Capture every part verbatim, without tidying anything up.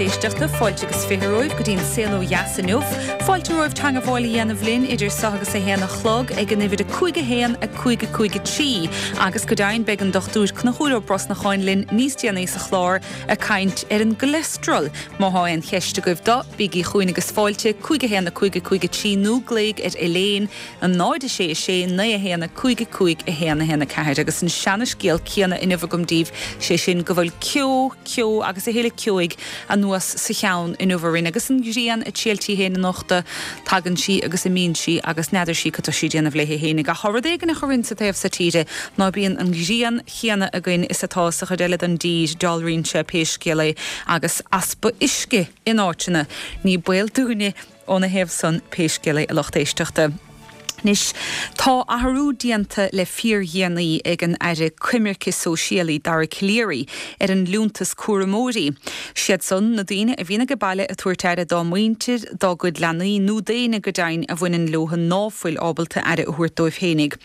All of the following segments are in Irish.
éisteachta fáilte agus fiche romhaibh go dtí an saol ó dheas inniu. Fáilte romhaibh teagmháil a dhéanamh linn idir seo agus a haon a chlog ag an uimhir a cúig a haon a cúig a cúig a trí agus go deimhin beidh an dochtúir Conchúr Ó Brosnacháin linn níos déanaí sa chlár ag caint ar an gcholesterol. Má tá aon cheist agaibh dó bígí chugainn agus fáilte cúig a haon a cúig a cúig a trí nó glaoigh ar Elaine an náid sé sé naoi a haon a cúig a cúig a haon a haon a ceathair agus an seanascéal céanna inniu agam daoibh sé sin go bhfuil ceo ceo agus a thuilleadh ceoigh anuas sa cheann inniu orainn agus an ghrian ag triall féin anocht tagann sí agus imíonn sí agus n'fheadar sí cad tá sí ag déanamh léi féin ach rud éigin a chuireann sa taobh seo tíre ná bíonn an ghrian chéanna againn is atá sa chuid eile den dtír dealraíonn sé pé scéal é agus easpa uisce in áiteanna ní baol dúinne óna thaobh san pé scéal é a lucht éisteachta. Anois tá athrú déanta le fíordhéanaí ag an aire coimirce sóisialaí Dara Calleary ar an liúntas cúramóirí. Siad san na daoine a bhíonn ag baile ag tabhairt aire dá muintir dá gcuid leanaí nó daoine go deimhin a bhaineann leo ná fuil ábalta aire a thabhairt dóibh féinig.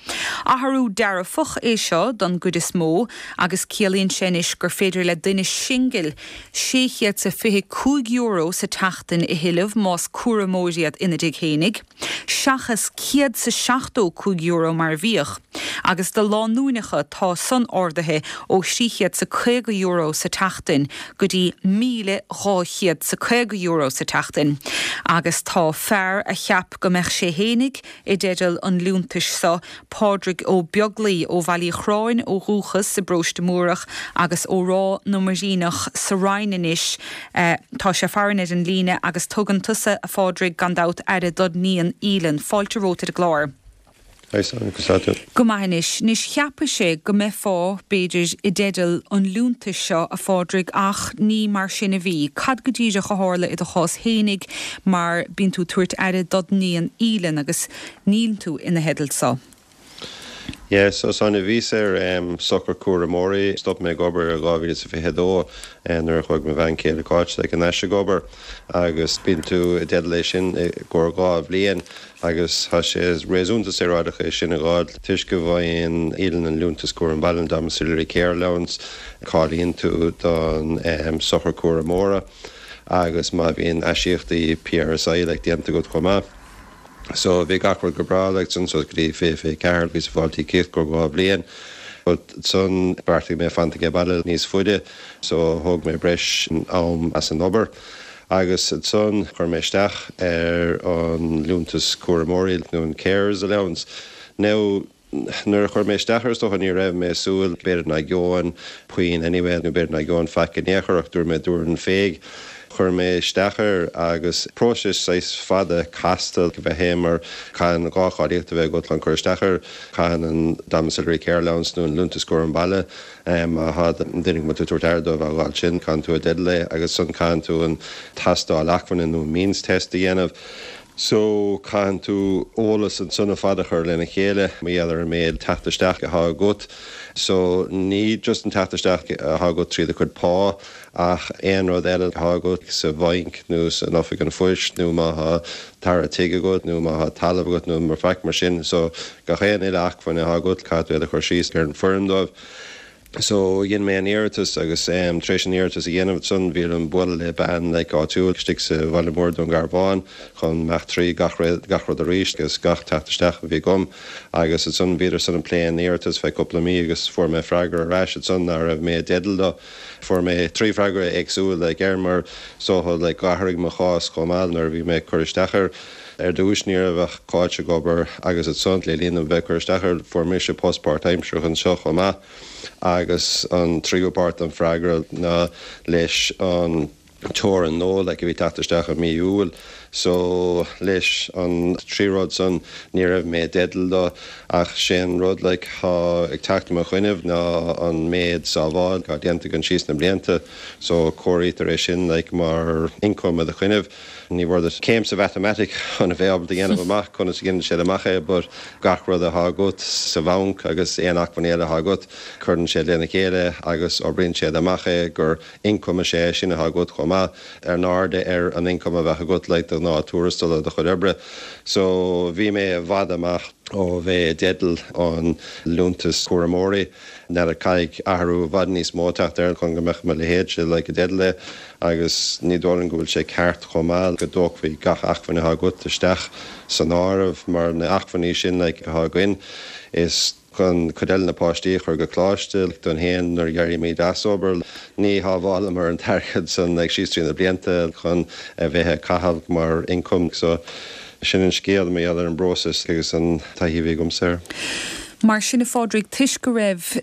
Athrú dearfach é seo don gcuid is mó agus ciallaíonn sé anois gur féidir le duine singil sé chéad is fiche cúig euro sa tseachtain a thuilleamh más cúramóir iad ina dtigh féinig, seachas céad sa seachtó cúig euro mar a bhíodh, agus do lánúineacha tá san ardaithe ó trí chéad sa caoga euro sa tseachtain go dtí míle dhá chéad sa caoga euro sa tseachtain. Agus tá fear a cheap go mbeadh sé féinig i dteideal an liúntais seo Pádraig Ó Beaglaoi ó Bhaile Uí Chorráin ó dhúchas i bParóiste Múrach agus ó Ráth na Muiríneach sa Rinn anois uh, tá sé farainn ar an líne agus tugann tusa a Phádraig gan dabht aire dod níon Aoileann fáilte romhat ar an gclár. Go maith anois, anois cheapfá sé go mbeifeá b'fhéidir i dteideal an liúntais seo a Phádraig ach ní mar sin a bhí. Cad go díreach a tharla i do chás féinig mar bíonn tú ag tabhairt aire dod níon Aoileann agus níl tú ina theideal seo. Yes, so san bhíos ar um, sochar cúramóirí, stop mé ag obair i dhá mhíle fiche dó nuair a chuaigh mo bhean chéile Cáit like, an ag obair agus bíonn tú i dteideal é sin i gcomhair dhá bhliain agus tá sé réasúnta saorálach é sin a fháil toisc go bhfaigheann Aoileann an liúntas cúram baile domiciliary care allowance cáilíonn tú don um, sochar cúramóra agus má bhíonn aisíocaíochtaí PRSI le déanta agat chomh maith. So bhí gach rud go breá le san so go dtí fiche fiche ceathair bhí sa fáiltí céad go dhá bhliain. But san bheartaigh mé fanacht ag baile níos faide, so thóg mé breis am as an obair. Agus san chuir mé isteach ar an liúntas cúramóirí nó an carer's allowance. Now nuair a chuir mé isteach air ní raibh mé súil b'fhéidir nach gheobhainn puinn anyway nó b'fhéidir nach gheobhainn faic in aon chor ach dúirt mé dúirt an féig. Chuir mé isteach air agus próiseas saghas fada casta a bheith é mar caithfidh dhá cháilíocht a bheith agat chun cur isteach air caithfidh an domiciliary care allowance nó an liúntas cúram baile má duine tú ag tabhairt aire dóibh a fháil sin caithfidh tú a dteideal é agus san caithfidh tú an tástáil acmhainne nó means test a dhéanamh. So caithfidh tú eolas ansan ar fad a chur lena chéile mar gheall ar an méid teacht isteach atá agat. So ní just an teacht isteach atá agat trí do chuid pá ach aon rud eile atá agat sa bhanc nó san oifig an phoist nó má tá tara tigh agat nó má tá talamh agat nó mar faic mar sin, so gach aon uile acmhainn atá agat caithfidh tú a chur síos ar an bhfoirm dóibh. So dhein mé an iarratas agus um, tar éis an iarratas a dhéanamh san bhí an bualadh le bean le áitiúil istigh sa bhaile mór Dún Garbhán chun imeacht trí gach gach rud arís agus gach teacht isteach a bhí agam agus san bhíodar san ag plé an iarratas fé cúpla mí agus fuair mé freagra ar ais san nach raibh mé i dteideal dó. Fuair mé trí freagra éagsúil le ger mar so le d'athraigh mo chás chomh maith nuair a bhí mé cur isteach air. Ar dtús ní raibh ach Cáit ag obair agus ansan le linn bheith cur isteach air fuair mise post páirtaimseartha anseo chomh maith agus an tríú páirt an freagra ná leis an teorainn nua le go bhí teacht isteach i mí Iúil, so leis an trí rud san ní raibh mé i dteideal dó ach sin rud le há ag teacht mo chuimhne ná an méid sábháil atá déanta agam síos na blianta, so comhairítear é sin le mar income a do chuimhne. Ní bhord céim sa mhatamaitic chun a bheith ábalta dhéanamh amach conas a dhéanann siad amach é, but gach rud atá agat sa bhanc agus aon acmhainn eile atá agat cuireann sé lena chéile agus oibríonn siad amach é gur income sé sin atá agat chomh maith ar náirde ar an income a bheith agat le do ná tuarastal do chuid oibre. So bhí mé i bhfad amach Ó bheith i dteideal an liúntas cúramóirí ná caithfidh athrú i bhfad níos mó teacht air chun go mbeadh mo leithéidse like i dteideal é agus ní dóigh liom go bhfuil sé ceart chomh maith go dtógfaí gach acmhainn atá agat isteach san áireamh mar na acmhainní sin like atá againn is chun cuid eile na páistí a chur go coláiste don haon nuair d'éirímid as obair ní shábhálamar an t-airgead san ag síos trí na blianta chun a bheith ag caitheamh mar income so sin an scéal mé ar an bpróiseas agus an taithí a bhí agamsa. Mar sin a Phádraig toisc go raibh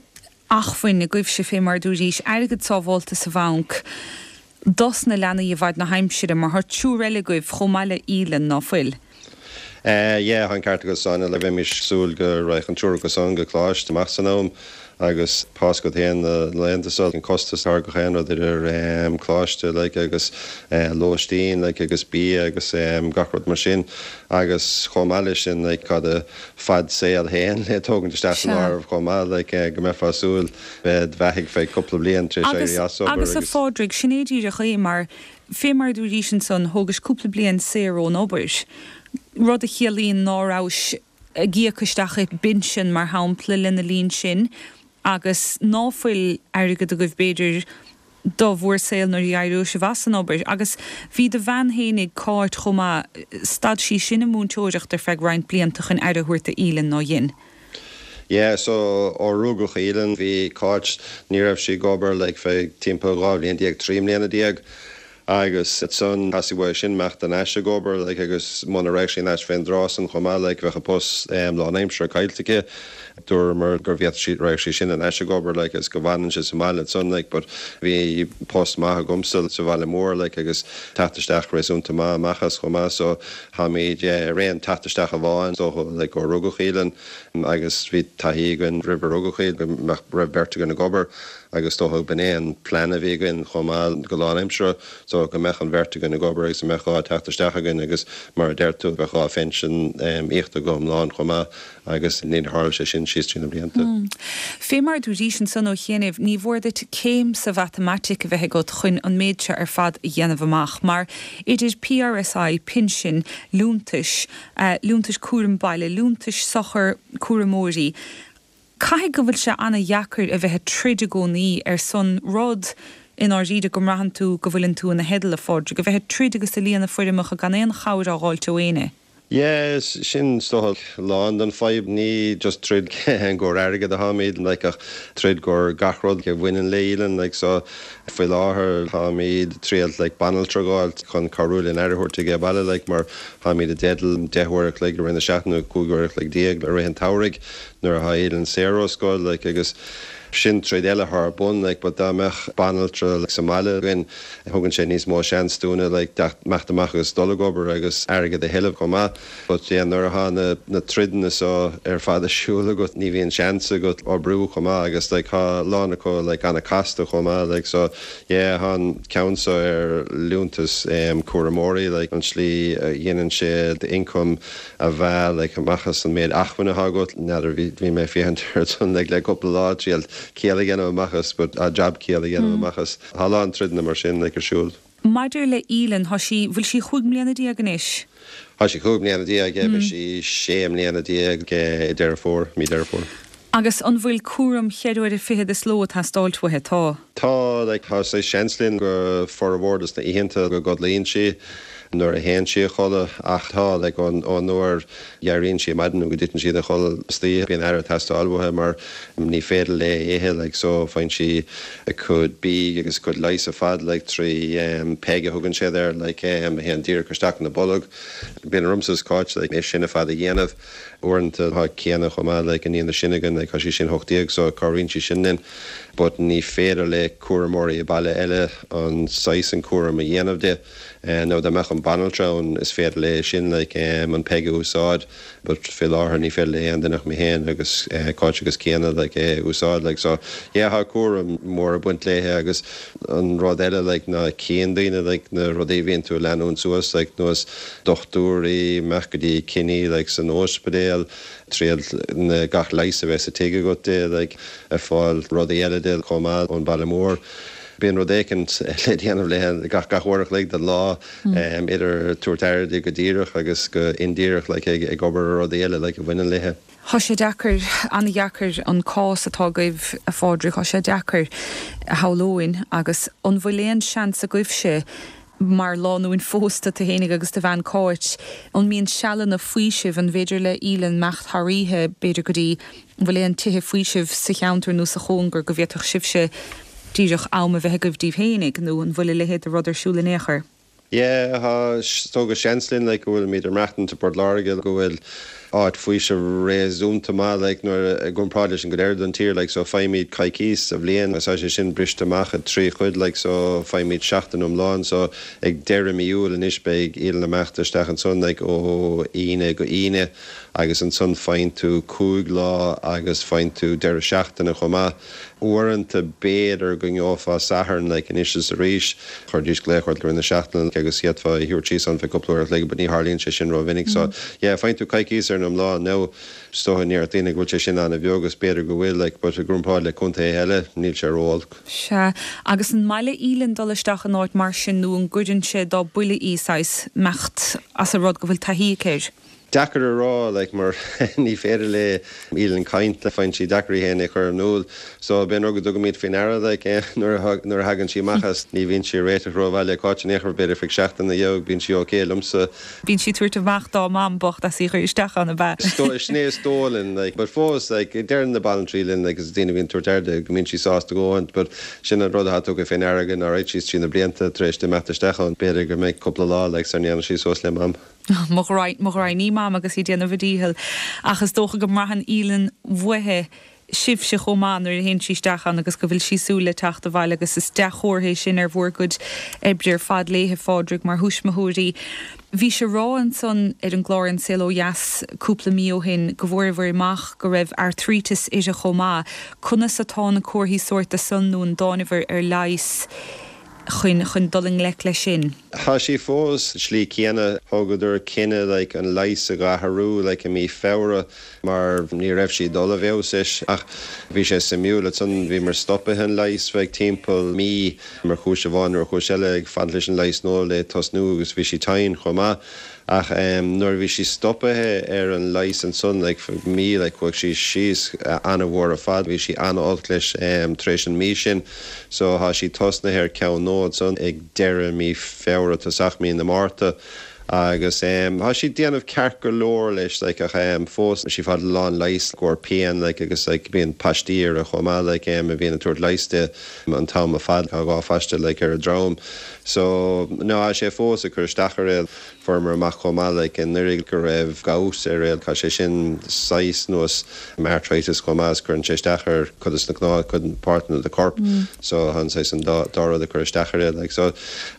acmhainn agaibhse fé mar dúraís airgead sábháilte sa bhanc dos na leanaí i bhfad na haimsire mar tá triúr eile agaibh chomh maith le Aoileann ná fuil. Uh, yeah, an ceart agat san le bheimis súil go raibh an triúr acu san go coláiste amach san am agus pas go haon na laethanta so an costas ar go haon rud idir um, coláiste like, agus uh, lóistín like, agus bia agus um, gach rud mar sin agus chomh maith leis sin like, cad a fad saoil féin le tógaint isteach san áireamh chomh maith like, uh, go mbeifeá súil bheith bheathaithe feadh cúpla bliain tar Agus, agus a Phádraig sin é díreach é mar fé mar dúraís ansan thógais cúpla bliain saor ón obair. Rud a chiallaíonn ná raibh ag íoc isteach i bpinsean mar shampla lena linn sin, agus ná fuil airgead agaibh b'fhéidir do bhur saol nuair a d'éireodh sibh as an obair, agus bhí do bhean fhéinig Cáit chomh maith stad sí sin an múinteoireacht ar feadh roinnt blianta chun aire a thabhairt d'Aoileann ná dhein. Yeah, so ó rugadh Aoileann bhí Cáit ní raibh sí ag obair le feadh timpeall dhá bhliain déag trí mbliana déag. agus ansan theastaigh sin imeacht ar ais ag obair like, agus muna raibh sí ais fén dtráth san chomh maith like, bheadh a post um, lánaimseartha caillte aici. Dúramar gur bhfiat sí raibh sí sin an eise gober like, agus go bhfanann sé sa mbaile san like, but bhí post maith agamsa sa bhaile mór like, agus teacht isteach réasúnta maith amach as chomh maith so tháimid ar aon teacht isteach amháin so like, ó rugadh Aoileann agus bhí taithí againn roimh rugadh í go raibh beirt againn ag obair agus dócha b'in é an plean a bhí againn chomh maith go lánaimseartha so go mbeadh an bheirt againn ag obair agus mbeadh dhá teacht isteach againn agus mar a deir tú bheadh dhá phinsean um, íoctha go hiomlán chomh maith agus ní tharla sé sin síos trí na blianta. Mm. Fé mar dúraís ansan ó chianaibh ní mór duit céim sa mhatamaitic a bheith agat chun an méid seo ar fad a dhéanamh amach, mar idir PRSI, pinsin, liúntais, uh, liúntais cúram baile, liúntais sochar cúramóirí. Caithfidh go bhfuil sé an-deacair a bheith ag troid i gcónaí ar son rud in áiríde go mbraitheann tú go bhfuileann tú ina theideal a Phádraig, go bheith ag troid agus ag líonadh foirmeacha gan aon chabhair á fháilt ó éinne. Yes, sin so lán den fadhb ní just troid i gcomhair airgead atáimid like, ach troid i gcomhair gach rud a bhaineann le Aoileann like, so faoi láthair táimid triail like, banaltra a fháil chun cabhrú linn aire a thabhairt di baile like, mar táimid i dteideal deich uair a chloig i rith na seachtaine cúig uair a chloig déag i rith an tsamhraidh nuair atá Aoileann saor ó scoil like, agus sin troid eile thar bun like, but dá mbeadh banaltra like, sa mbaile againn thugann sé níos mó seans dúinne like, imeacht amach agus dul ag obair agus airgead a thuilleamh chomh maith. But yeah, nuair atá na, na troideanna so ar fad ar siúl agat ní bhíonn seans agat oibriú chomh maith agus like, tá lán acu like, an-chasta chomh maith like, so yeah, an ceann so ar liúntas um, cúramóirí like, an slí uh, dhéanann sé income a bheith like, amach as an méid acmhainne agat n'fheadar bhí mé féachaint ar like, le cúpla lá triail ciall a dhéanamh amach as but a jab ciall a dhéanamh amach as tá lán troideanna mar sin like, ar siúl. Maidir le Aoileann tá sí bhfuil sí chúig mbliana déag anois. Tá sí cúig mbliana déag mm. sí sé mbliana déag i Deireadh Fómhair mí Deireadh Fómhair. Agus an bhfuil cúram ceithre uaire fichead sa ló ag teastáilt uaithi tá. Tá like, tá sé seans linn go formhór des na hoícheanta go gcodlaíonn sí nuair a théann sí a chodladh ach tá le ón nuair a éiríonn sí maidin go dtiteann sí a chodladh istoíche bíonn aire ag teastáil uaithi mar ní féidir léi ithe like, so faigheann sí a cuid bídh agus cuid leighis ar fad like, trí um, PEG a thugann siad air like, um, théann díreach isteach ina bolg. Bíonn ormsa is Cáit like, é sin ar fad a dhéanamh uaireanta tá Ciana chomh maith like, an iníon sin againn like, tá sí sin hocht déag so cabhraíonn sí sin linn, but ní féidir le cúramóirí baile eile an saghas an cúram a dhéanamh di. Uh, nó dá mbeadh an banaltra an is féidir léi sin like, um, an PEG a úsáid, but fé láthair ní féidir le aon duine ach mé féin agus uh, Cáit agus Ciana like, é úsáid like, so yeah, tá cúram mór ag baint léi agus an rud eile like, na cén daoine like, na rudaí bhíonn tú leanúint suas like, nós dochtúirí imeacht go dtí cinní like, san ospidéal triail na gach leigheas a bheith sa tigh agat di like, ag fáil rudaí eile di chomh maith ón baile mór. Bíonn rud éicint le déanamh léi gach gach uair a chloig den lá mm. idir tabhairt aire di go díreach agus go indíreach like, ag ag obair rudaí eile like, a bhaineann léi. Tá sé deacair an-deacair an cás atá agaibh a Phádraig tá sé deacair a shamhlú agus an bhfuil aon seans agaibhse mar lánúin phósta tú fhéinig agus do bhean Cáit an mbíonn sealanna faoisimh an bhféidir le Aoileann imeacht thar oíche b'fhéidir go dtí bhfuil aon tithe faoisimh sa cheantar nó sa chóngar go bhféadfadh sibhse díreach am a bheith agaibh daoibh fhéinig nó an bhfuil a leithéid de rud ar siúl in aon chor. Yeah, tá seans linn like, go bhfuil míad meachtan to Port Láirge go bhfuil áit faoisimh réasúnta maith like, nuair i gcomparáid leis an gcuid eile den tír like, so faighimid coicís sa bhliain is sé sin briste amach i trí chuid like, so faighimid seachtain iomlán so ag deireadh mí Iúil anois beidh Aoileann ag imeacht isteach ansan like, ó Aoine go hAoine agus ansan faigheann tú cúig lá agus faigheann tú deireadh seachtaine chomh maith. Uaireanta b'fhéidir go ngeofá Satharn like, anois is arís chuirdís glaoch ort na seachtaine agus d'fhéadfá a thabhairt síos an feadh cúpla uair like, but ní tharlaíonn sé sin rómhinic so yeah, faigheann tú coicís ar an lá nó so ní daoine go bhfuil sé sin an-bheag agus b'fhéidir go bhfuil like, but i gcomparáid le contae eile níl sé ró-olc. Sea agus an maith le Aoileann dul isteach in áit mar sin nó an gcuireann sé dá buille í imeacht as a rud go bhfuil taithí aici. Deacair a rá like, mar ní féidir le Aoileann caint le faigheann sí deacair é a chur in iúl, so b'in rud go dtugaimid faoi deara like, eh, nuair a thagann sí amach as ní bhíonn sí réiteach rómhaith le Cáit in aon chor b'fhéidir feadh seachtain dheag bíonn sí okay liomsa. Bíonn sí ag tabhairt amach dá mam bocht as í chur isteach ann ab ea. Sin é is dóigh linn like, but fós like, deireann na banaltraí linn like, is daoine bhíonn tabhairt aire go mbíonn sí sásta go but sin an rud atá tugtha faoi deara againn ar sí trí na blianta tar éis di imeacht isteach ann b'fhéidir go mbeidh cúpla lá like, sar ndéanann sí suas le mam. Mo ghraidhin mam agus í déanamh a dícheall ach is dócha go mbraitheann Aoileann uaithe sibhse chomh maith nuair a théann sí isteach ann agus go bhfuil sí súil le teacht abhaile agus is dea-chomhartha é sin ar bhur gcuid oibre ar fad léi a Phádraig mar thuismitheoirí. Bhí sé rá ansan ar an gclár An Saol Ó Dheas cúpla mí ó shin go bhfuair amach go raibh artríteas uirthi chomh maith, Conas atá na comharthaí sóirt san nó an dtáinibhir ar leigheas chun chun dul i ngleic leis sin. Tá sí fós slí céanna thugadar cinneadh like, an leigheas a athrú like, i mí Feabhra mar ní raibh sí dul i bhfeabhas ach bhí sé suimiúil san bhí mar stoptha an leigheas feadh timpeall mí mar chúis amháin ar chúis eile ag fan leis an leigheas nó le tosnú agus bhí sí tinn chomh maith. ach um, nuair bhí sí stoptha ar an leigheas ansan like, mí like, chuaigh sí síos uh, an-mhór ar fad, bhí sí an-olc leis um, tar éis an mí sin, so tá sí tosnaithe ar ceann nua ansan ag deireadh mí Feabhra tosach mí na Márta. agus um, Tá sí déanamh ceart go leor leis like, ach um, fós sí fad lán leis gur pian like, agus like, bíonn paistí a chomh maith like, um, a bhíonn ag tabhairt leighis di an t-am ar fad dhá phaiste like, ar a drom. So ná sé fós a chur isteach ar fuaireamar amach chomh maith like, anuraidh go raibh gout ar réal tá sé sin saghas nós arthritis chomh maith cuireann sé isteach ar chuid na cnámh chuid páirteanna de corp mm. so an sé an dá rud a chur isteach ar like, so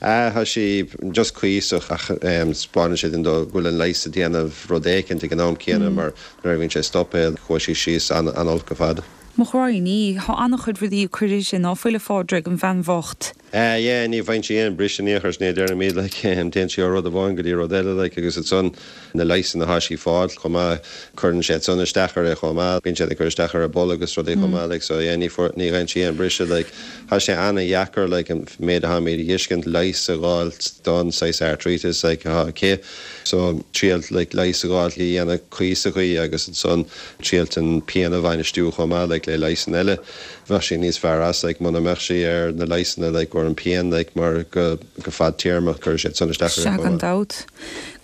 uh, tá sí just cuíosach ach um, spáann sé den do bhfuil an leigheas ag déanamh rud éicint ag an am céanna mm. mar nuair a bhíonn sé stoptha chuaigh sí síos an an-olc ar fad. Mo ghraidhin tá an-chuid rudaí chuir sin ná fuil a Phádraig an bhean bhocht. Uh, yeah, ní bhain sí aon briseadh ní chur né dear mí like, um, téann sí ó rud amháin go dtí rud eile like, agus ansan na leigheasanna atá sí ag fáil chomh maith cuireann sé san isteach uirthi chomh maith bíonn sé ag cur isteach ar a bolg agus rudaí chomh maith like, so yeah, ní ní ghain sí an briseadh like, Tá sé an-dheacair like, an méid atá mé dhiscint leis a gáil don sais artritis like, ha cé so triail like, leigheas a fháil le dhéanamh cuíosach agus ansan triail an pian a bhainistiú chomh maith like, le leigheasanna eile. Bheadh sí níos fearr as like, muna mbeadh sí ar na leigheasanna like, an pian like, mar go go fadtéarmach chuir sé san isteach Sea gan dabht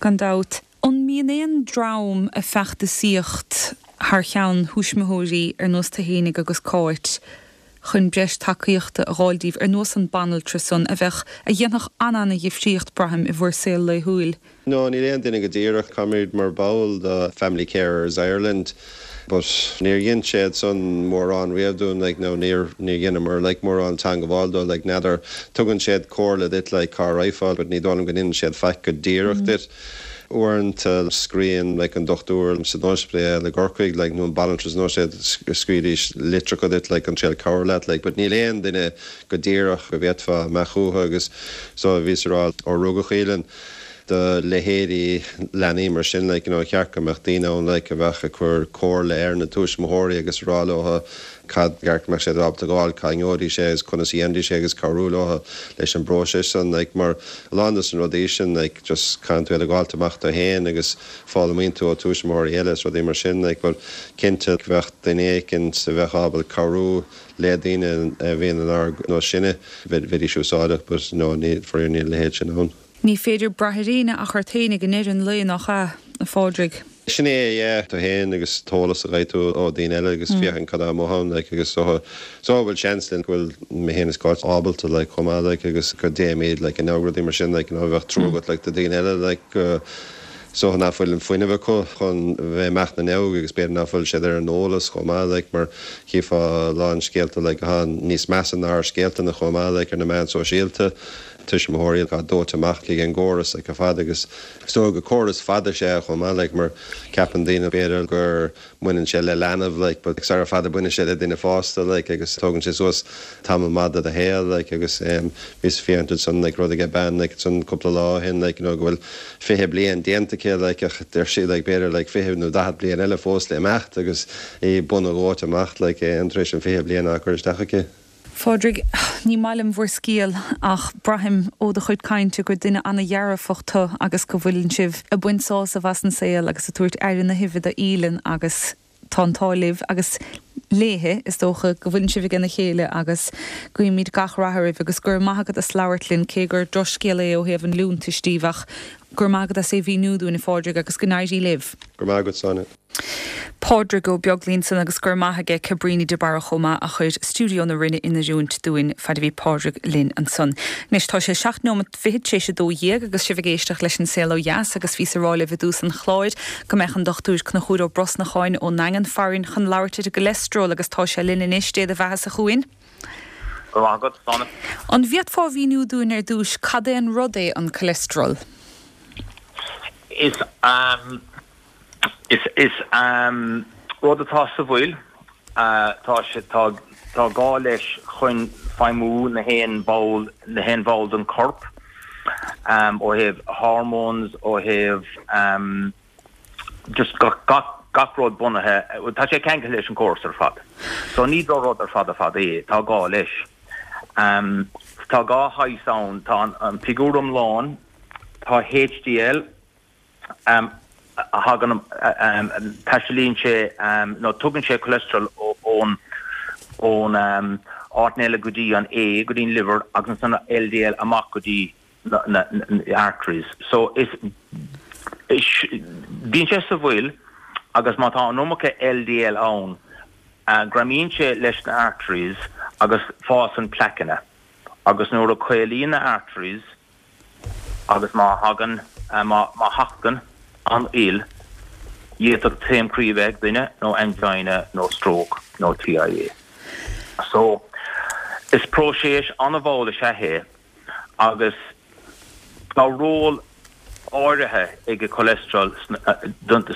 gan dabht. An mbíonn aon dream ag feachtasaíocht thar cheann thuismitheoirí ar nós tú fhéinig agus Cáit chun breis tacaíochta a fháil daoibh ar nós an banaltra san a bheadh a dhéanfadh an-an-dhifríocht braithim i bhur saol laethúil. No, níl aon duine go díreach táimid mar ball de Family Carers Ireland. But níor dhein siad san mórán riamh dúinn like, no, níor ní dheineamar like, mórán teagmháil leo like, n'fheadar tugann siad comhairle duit like, cá raghfá, but ní dóigh liom go ndéanann siad faic go díreach mm. duit. Uaireanta scríobhann like, an dochtúir san ospidéal i gCorcaigh like, nó an banaltra nó siad scríobhaidís litreacha duit like, an triail cabhair leat like, but níl aon duine go díreach go bhféadfá imeacht chucu agus so bhí rá ó rugadh Aoileann. do leithéidí leanaí mar sin like, you know, cheart go mbeadh daoine ann like, a bheadh ag cur comhairle ar na tuismitheoirí agus rá leo cad ceart mbeadh sé ábalta gabháil cá ngeobhaidís é agus conas a dhéanfaidís é agus cabhrú leo leis an bpróiseas san like, mar a lán dos na rudaí sin like, just caitheann tú iad a ghabháilt amach tú féin agus foghlaimíonn tú ó tuismitheoirí eile is rudaí mar sin like, but cinnte bheadh duine éicint a bheadh ábalta cabhrú le daoine a bhíonn inár nós sinne bheidís úsáideach but no ní faraor níl a leithéid sin ann. Ní féidir brath ar éinne ach ort féin ag deireadh an lae nach ea, a Phádraig. Sin é yeah, tú féin agus eolas a fháil tú ó daoine eile agus féachaint cad amuigh ann like, agus so so bhfuil seans linn go bhfuil mé féin is Cáit ábalta like, chomh maith like, agus go dtéimid like, in rudaí mar sin like, you know, bheadh trua agat like, do daoine eile like, uh, so nach bhfuil an fuinneamh acu chun bheith amach na n-óg agus b'fhéidir nach bhfuil siad ar an eolas chomh maith like, mar chífeá a lán scéalta like, atá níos measa ná ár scéalta na chomh maith like, ar na meáin sóisialta tuismitheoirí atá dóite amach le an gcóras like, fad agus so go córas fada sé chomh maith like, mar ceapann daoine b'fhéidir gur mbaineann sé le leanbh like, but sar fada baineann sé le duine fásta like, agus tógann sé suas tamall maith de do shaol like, agus um, bhíos féachaint san like, rud ag bean like, san cúpla lá ó shin like, you know, go bhfuil fiche bliain déanta aici like, ach deir sí like, b'fhéidir like, fiche nó daichead bliain eile fós le imeacht agus í bun dhóite amach like, an tar éis an fiche bliain a chur isteach aici. Phádraig, ní maith liom bhur scéal ach braithim ó do chuid cainte gur duine an-dearfach tú agus go bhfuileann sibh ag baint sásamh as an saol agus ag tabhairt aire na huibhe do Aoileann agus tá an t-ádh libh agus léithe is dócha go bhfuileann sibh ag a chéile agus guímid gach rath oraibh agus gur maith agat as labhairt linn cé gur drochscéal é ó thaobh an liúntais díobh ach gur maith agat as é mhíniú dúinn a Phádraig agus go n-éirí libh. Gur maith agat Sonia. Pádraig Ó Beaglaoich ansan agus gur maith aige Cabríní de Barra chomh maith a chuir stiúideo na Rinne in oiriúint dúinn fad a bhí Pádraig linn ansan. Anois tá sé seacht nóiméad fiche tar éis a dó dhéag agus sibh ag éisteacht leis an saol ó dheas agus bhíos ag rá libh i dtús an chláir go mbeadh an dochtúir Conchúr Ó Brosnacháin ón nDaingean farainn chun labhairt ar an gcolesterol agus tá sé linn anois Dé do bheatha a chuain. An bhféadfá a mhíniú dúinn ar dtús cad é an rud é an cholesterol? Is um, is is um, rud atá sa bhfuil uh, tá sé tá tá gá leis chun feidhmiú na haon ball na haon bhall den corp um, ó thaobh hormones ó thaobh um, just gach gach gach rud bunaithe tá sé ceangailte leis an córas ar fad. So ní do rud ar fad ar fad é tá gá leis. Um, tá dhá shaghas ann tá an, an figiúr iomlán tá HDL um, a thagann um, taistealaíonn sé um, nó tugann sé cholesterol ón ón um, áit eile go dtí an A go dtí liver agus an LDL amach go dtí na, na, na arteries. So is is bíonn sé sa bhfuil agus má tá an iomarca LDL ann uh, greamaíonn sé leis na arteries agus fásann placanna agus nuair a chaolaíonn na arteries agus má thagann uh, má má thagann an fhuil d'fhéadfadh taom croí ag duine nó angina nó stroke nó TIA. So is próiseas an-mhall is ea é agus tá ról áirithe ag an cholesterol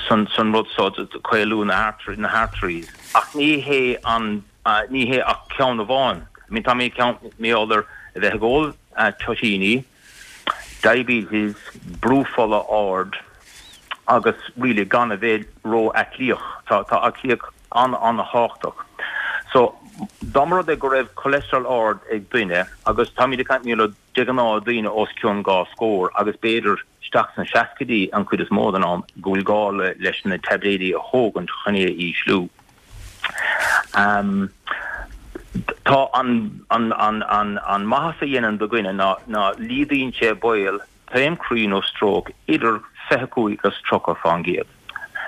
san san rud so caolú na na arteries ach ní hé an uh, ní hé ach ceann amháin. I mean tá mé ceann méálar a bheith ag ól uh, toitíní, diabetes, brú fola ard agus really gan a bheith ró-aclaí tá tá aclaíocht an an-tábhachtach. So dá mba rud é go raibh cholesterol ard ag duine agus tá mé ag caint de ghnáth daoine os cionn dhá scór agus b'fhéidir isteach sna seascaidí an chuid is mó den am go bhfuil gá leis na taibléidí a thógaint chun é a ísliú. Um, tá an an an an an maitheas a dhéanann do dhuine ná ná laghdaíonn sé baol taom croí nó stroke idir fiche cúig agus tríocha faoin gcéad.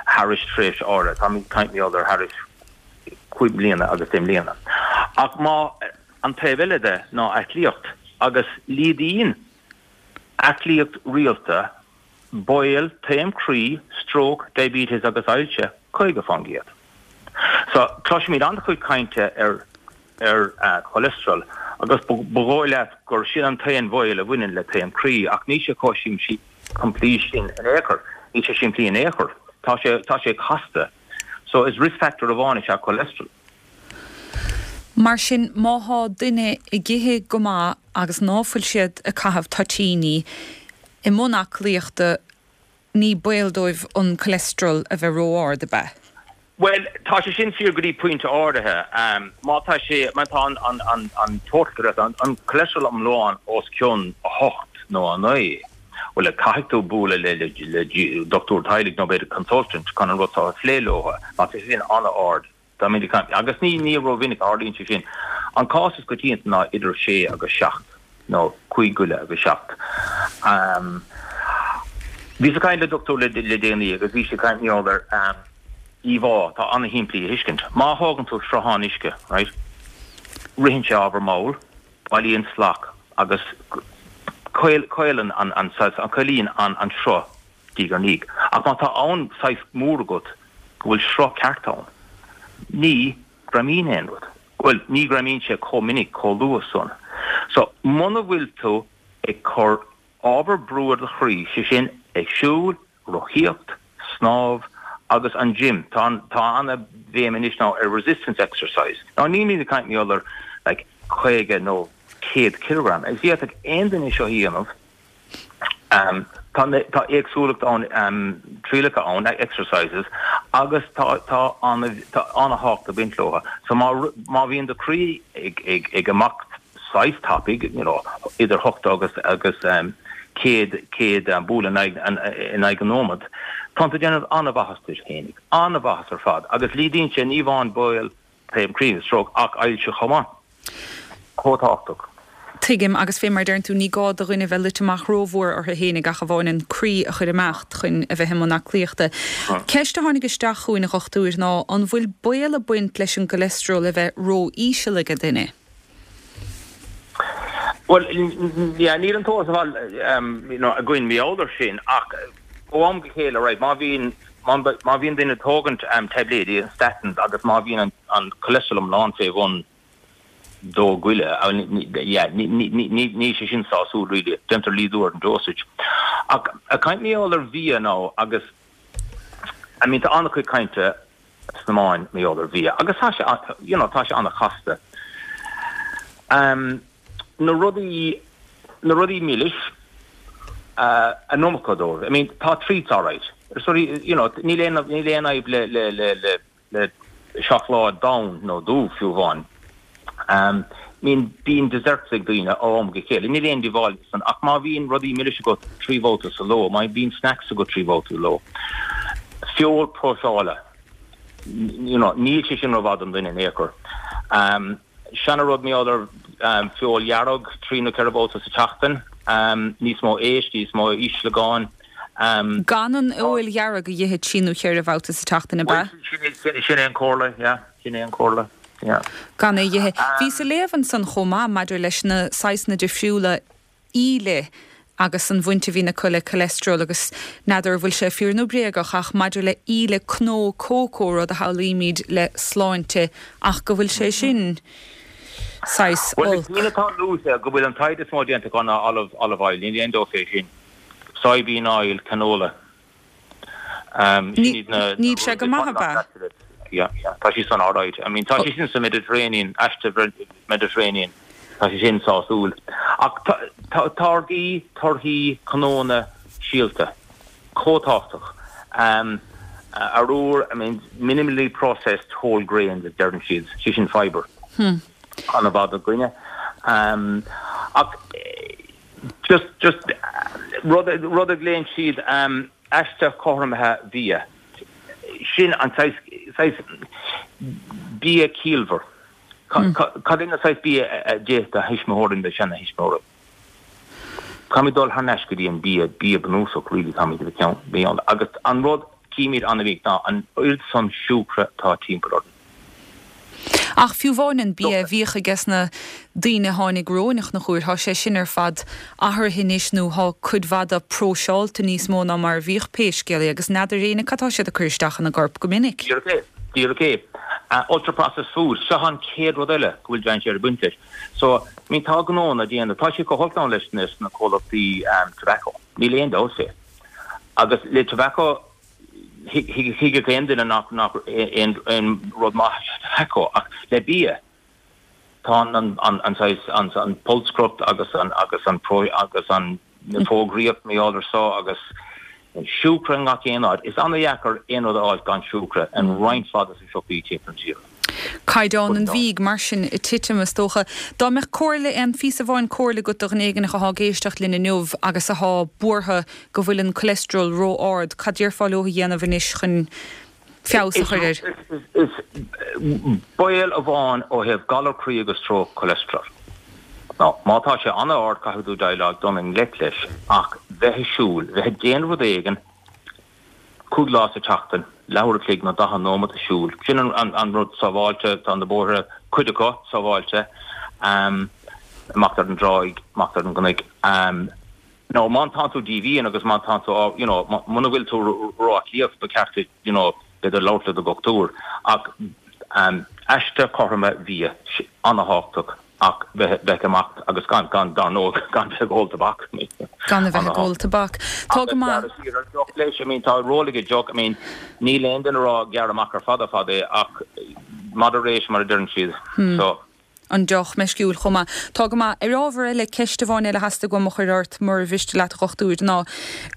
Thar tréimhse áirithe tá caint ar thar cúig bliana agus deich mbliana. Ach má an taobh eile de ná aclaíocht agus laghdaíonn aclaíocht rialta baol taom croí, stroke, diabetes agus ailse caoga faoin gcéad. So cloisimid an-chuid cainte ar ar uh, cholesterol agus ba dhóigh leat gur sin an t-aon bhaol a bhaineann le taom croí ach níl sé chomh simplí sin in aon chor níl sé simplí in aon chor tá sé tá sé casta so is risk factor amháin is ea cholesterol Mar sin má tá duine ag ithe go maith agus ná fuil siad ag caitheamh toitíní i mbun aclaíochta, ní baol dóibh an cholesterol a bheith ró-ard, ab ea? Bhuel, tá sé sin fíor go dtí pointe áirithe. Má tá sé, má tá an, an, an, an total, an, an cholesterol iomlán os cionn a hocht nó a naoi, bhuel, caithfidh tú bualadh le, le, le dochtúir teaghlaigh nó b'fhéidir consultant chun an rud seo a phlé leo. Má tá sé sin an-ard, tá mé ag caint, agus ní, ní rómhinic a tharlaíonn sé sin. An cás is coitianta ná idir sé agus seacht, nó cúig goile agus seacht. Bhíos ag caint le dochtúir le, le déanaí agus bhí sé ag caint mar gheall ar, íomhá atá an-shimplí a thuiscint. Má thógann tú sruthán uisce, right, ritheann sé ábhar mall, bailíonn slach agus caolann an, an saghas, an caolaíonn an, an sruth diaidh ar ndiaidh. Ach má tá abhainn saghas mór agat go bhfuil sruth ceart ann, ní ghreamaíonn aon rud. Bhuel, ní ghreamaíonn sé chomh minic, chomh luath san. So, muna bhfuil tú ag cur ábhar brú ar do chroí, sé sin, ag siúl, rothaíocht, snámh agus an gym. Tá an, tá ana-bhéim anois now ar resistance exercise. Now nílimid ag caint mar gheall ar like caoga nó céad kilogram. Is d'fhéadfadh aon duine seo a dhéanamh. Um, tá, tá éagsúlacht ann, um, trialacha ann, exercises, agus tá, tá ana, tá ana-thábhacht ag baint leo. So má, má bhíonn do chroí ag, ag, ag imeacht saghas tapaidh, you know, idir hocht agus, agus um, céad, céad um, bualadh in aghaidh, an, in aghaidh an nóiméad, tá tú ag déanamh an-mhaitheas duit féinig, an-mhaitheas ar fad, agus laghdaíonn sé ní amháin baol taom croí, stroke, ach ailse chomh maith. Chomh tábhachtach. Tuigim, agus fé mar a deireann tú, ní gá do dhuine bheith luite amach rómhór orthu fhéinig ach amháin an croí a chur ag imeacht chun a bheith i mbun aclaíochta. Ceist a tháinig isteach chugainn, a dhochtúir, ná an bhfuil baol ag baint leis an gcolesterol a bheith ró-íseal ag duine? Bhuel, yeah, níl an t-eolas ar fad um, you know, againn mar gheall air sin, ach ó am go chéile, right, má bhíonn má, má bhíonn duine ag tógaint um, taibléidí, statins, agus má bhíonn an, an cholesterol iomlán fé bhun dó goile, yeah, ní, ní, ní, ní, ní sé sin sásúil really, déantar laghdú ar an dosage. Ach ag caint mar gheall ar bhia now agus I mean, tá an-chuid cainte sna meáin mar gheall ar bhia, agus tá sé, you know, tá sé an-chasta. Um, na rudaí na rudaí milis uh, an iomarca dóibh. I mean, tá treats all right. Sorry, you know, níl aon níl aon fhadhb le le le le le seacláid donn nó dubh fiú amháin. Um, I mean, bíonn desserts ag daoine ó am go chéile. Níl aon díobháil san ach má bhíonn rudaí milis agat trí bhabhta sa ló, má bhíonn snacks agat trí bhabhta sa ló. Feoil próiseáilte. You know, níl sé sin rómhaith don duine in aon chor. Um, Seana-rud mar gheall ar um, feoil dhearg trí nó ceithre bhabhta sa tseachtain, um, níos mó éisc, níos mó ísleagáin. Um, Gan an fheoil dhearg a ithe trí nó ceithre bhabhta sa tseachtain, ab ea? Sin sin sin é an comhairle, yeah, sin é an comhairle. Yeah. Gan é ithe. Bhíos ag léamh ansan chomh maith maidir leis na saghsanna difriúla íle agus an bhaint a bhíonn acu le cholesterol agus n'fheadar an bhfuil sé fíor nó bréagach ach maidir le íle cnó cócó rud a shamhlaímid le sláinte ach go bhfuil sé sin saghas Well, olc. na atá luaite go bhfuil an taighde is mó déanta gan olive olive oil, níl aon dabht fé sin. Soybean oil, canola. Um, Ní- sin iad na- níl sé go maith, ab ea? Yeah, yeah, tá sé san all right. I mean, tá sé sin sa Mediterranean, aiste Mediterranean. Tá sé sin sásúil. Ach tá- tá- táirgí, torthaí, cnónna, síolta. Chomh tábhachtach. Um, arúr, I mean, minimally processed whole grains a deireann siad, sé sin fiber. Hmm. An-mhaith do dhuine. Um, ach eh, just just eh, rud rud a ghlaonn siad um, aiste chothromaithe bia. Sin an saghas saghas bia ciallmhar. Hmm. Cad é an saghas bia a d'ith do thuismitheoirí do sheanathuismitheoirí. Caithfimid dul thar n-ais go dtí an bia bia bunúsach really caithfimid a bheith bíonn agus an rud címid an-mhinic ná an oiread san siúcra tá timpeall orainn. Ach fiú amháin an bia a bhíodh aige na daoine a tháinig romhainn na chuair, tá sé sin ar fad athraithe anois nó tá cuid mhaith de próiseáilte níos mó ná mar a bhíodh pé scéal é agus n'fheadar éinne cad tá siad ag cur isteach ina gcorp go minic. Díreach é, díreach é. Uh, ultra processed food, seo an chéad rud eile go bhfuil dainséar ag baint leis. So, I mean, tá gnónna déanta, tá sé go holc ann leis na na comhlachtaí um, tobacco. Níl aon dabht fé. Agus le tobacco thuigfeadh aon duine nach nach aon aon rud maith tobacco ach le bia tá an an an an saghas an an pholscaireacht agus an agus an pro agus an Na fógraíocht mar gheall air so agus siúcra i ngach aon áit. Is an-dheacair aon rud a fháil gan siúcra in roinnt mhaith de na siopaí timpeall na tíre. Caighdeán an bhídh mar sin ag titim is dócha. Dá mbeadh comhairle, aon phíosa amháin comhairle agat do dhuine éigin atá ag éisteacht linn inniu agus atá buartha go bhfuil an cholesterol ró-ard, cad déarfá leo a dhéanamh anois chun feabhas a chur air? Is baol amháin ó thaobh galar croí agus stróc cholesterol. Ná má tá sé an-ard caithfidh tú déileáil dul i ngleic leis ach bheith ag siúl, bheith ag déanamh rud éigin cúig lá sa tseachtain, leathuair a chloig nó daichead nóiméad ag siúl. Sin an an rud sábháilte, tá na bóithre, cuid acu, sábháilte, amach ar an dtráigh, amach ar an gcnoic. Nó má tánn tú díomhaoin agus má tánn tú you know muna bhfuil tú ró-aclaíoch ba cheart duit you know b'fhéidir labhairt le do dhochtúir ach aiste cothroma bhia an-thábhachtach ach bheith ag imeacht agus gan gan dar ndóigh gan bheith ag ól tobac. Gan a bheith ag ól tobac. Tá go maith. Deoch leis, I mean tá ról ag an deoch, I mean níl aon duine ag rá gearr amach ar fad ar fad é ach moderation mar a deireann siad. So. an deoch meisciúil chomh maith. Tá go maith. Ar ábhar eile, ceist amháin eile a theastaigh uaim a chur ort, mura mhiste leat, a dhochtúir, ná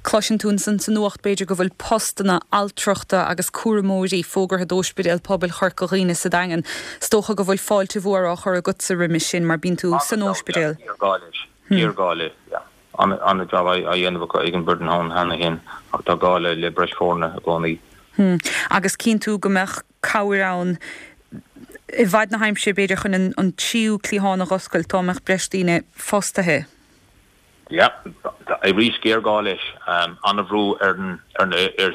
cloiseann tú ansan sa nuacht, b'fhéidir, go bhfuil postanna altrachta agus cúramóirí fógartha d'Ospidéal Pobail Chorca Dhuibhne sa Daingean. Is dócha go bhfuil fáilte mhór á chur agatsa roimis sin mar bíonn tú san ospidéal. Géarghá leis. Géarghá leis, yeah. An-jab á dhéanamh acu ag an bhfoireann ann cheana féin ach tá gá le breis foirne i gcónaí. Agus cíonn tú go mbeadh cabhair ann i bhfad na haimsire b'fhéidir chun an tríú cliathán a dh'oscailt dá mbeadh breis daoine fostaithe. Yeah, arís géarghá leis. An-bhrú ar ar ar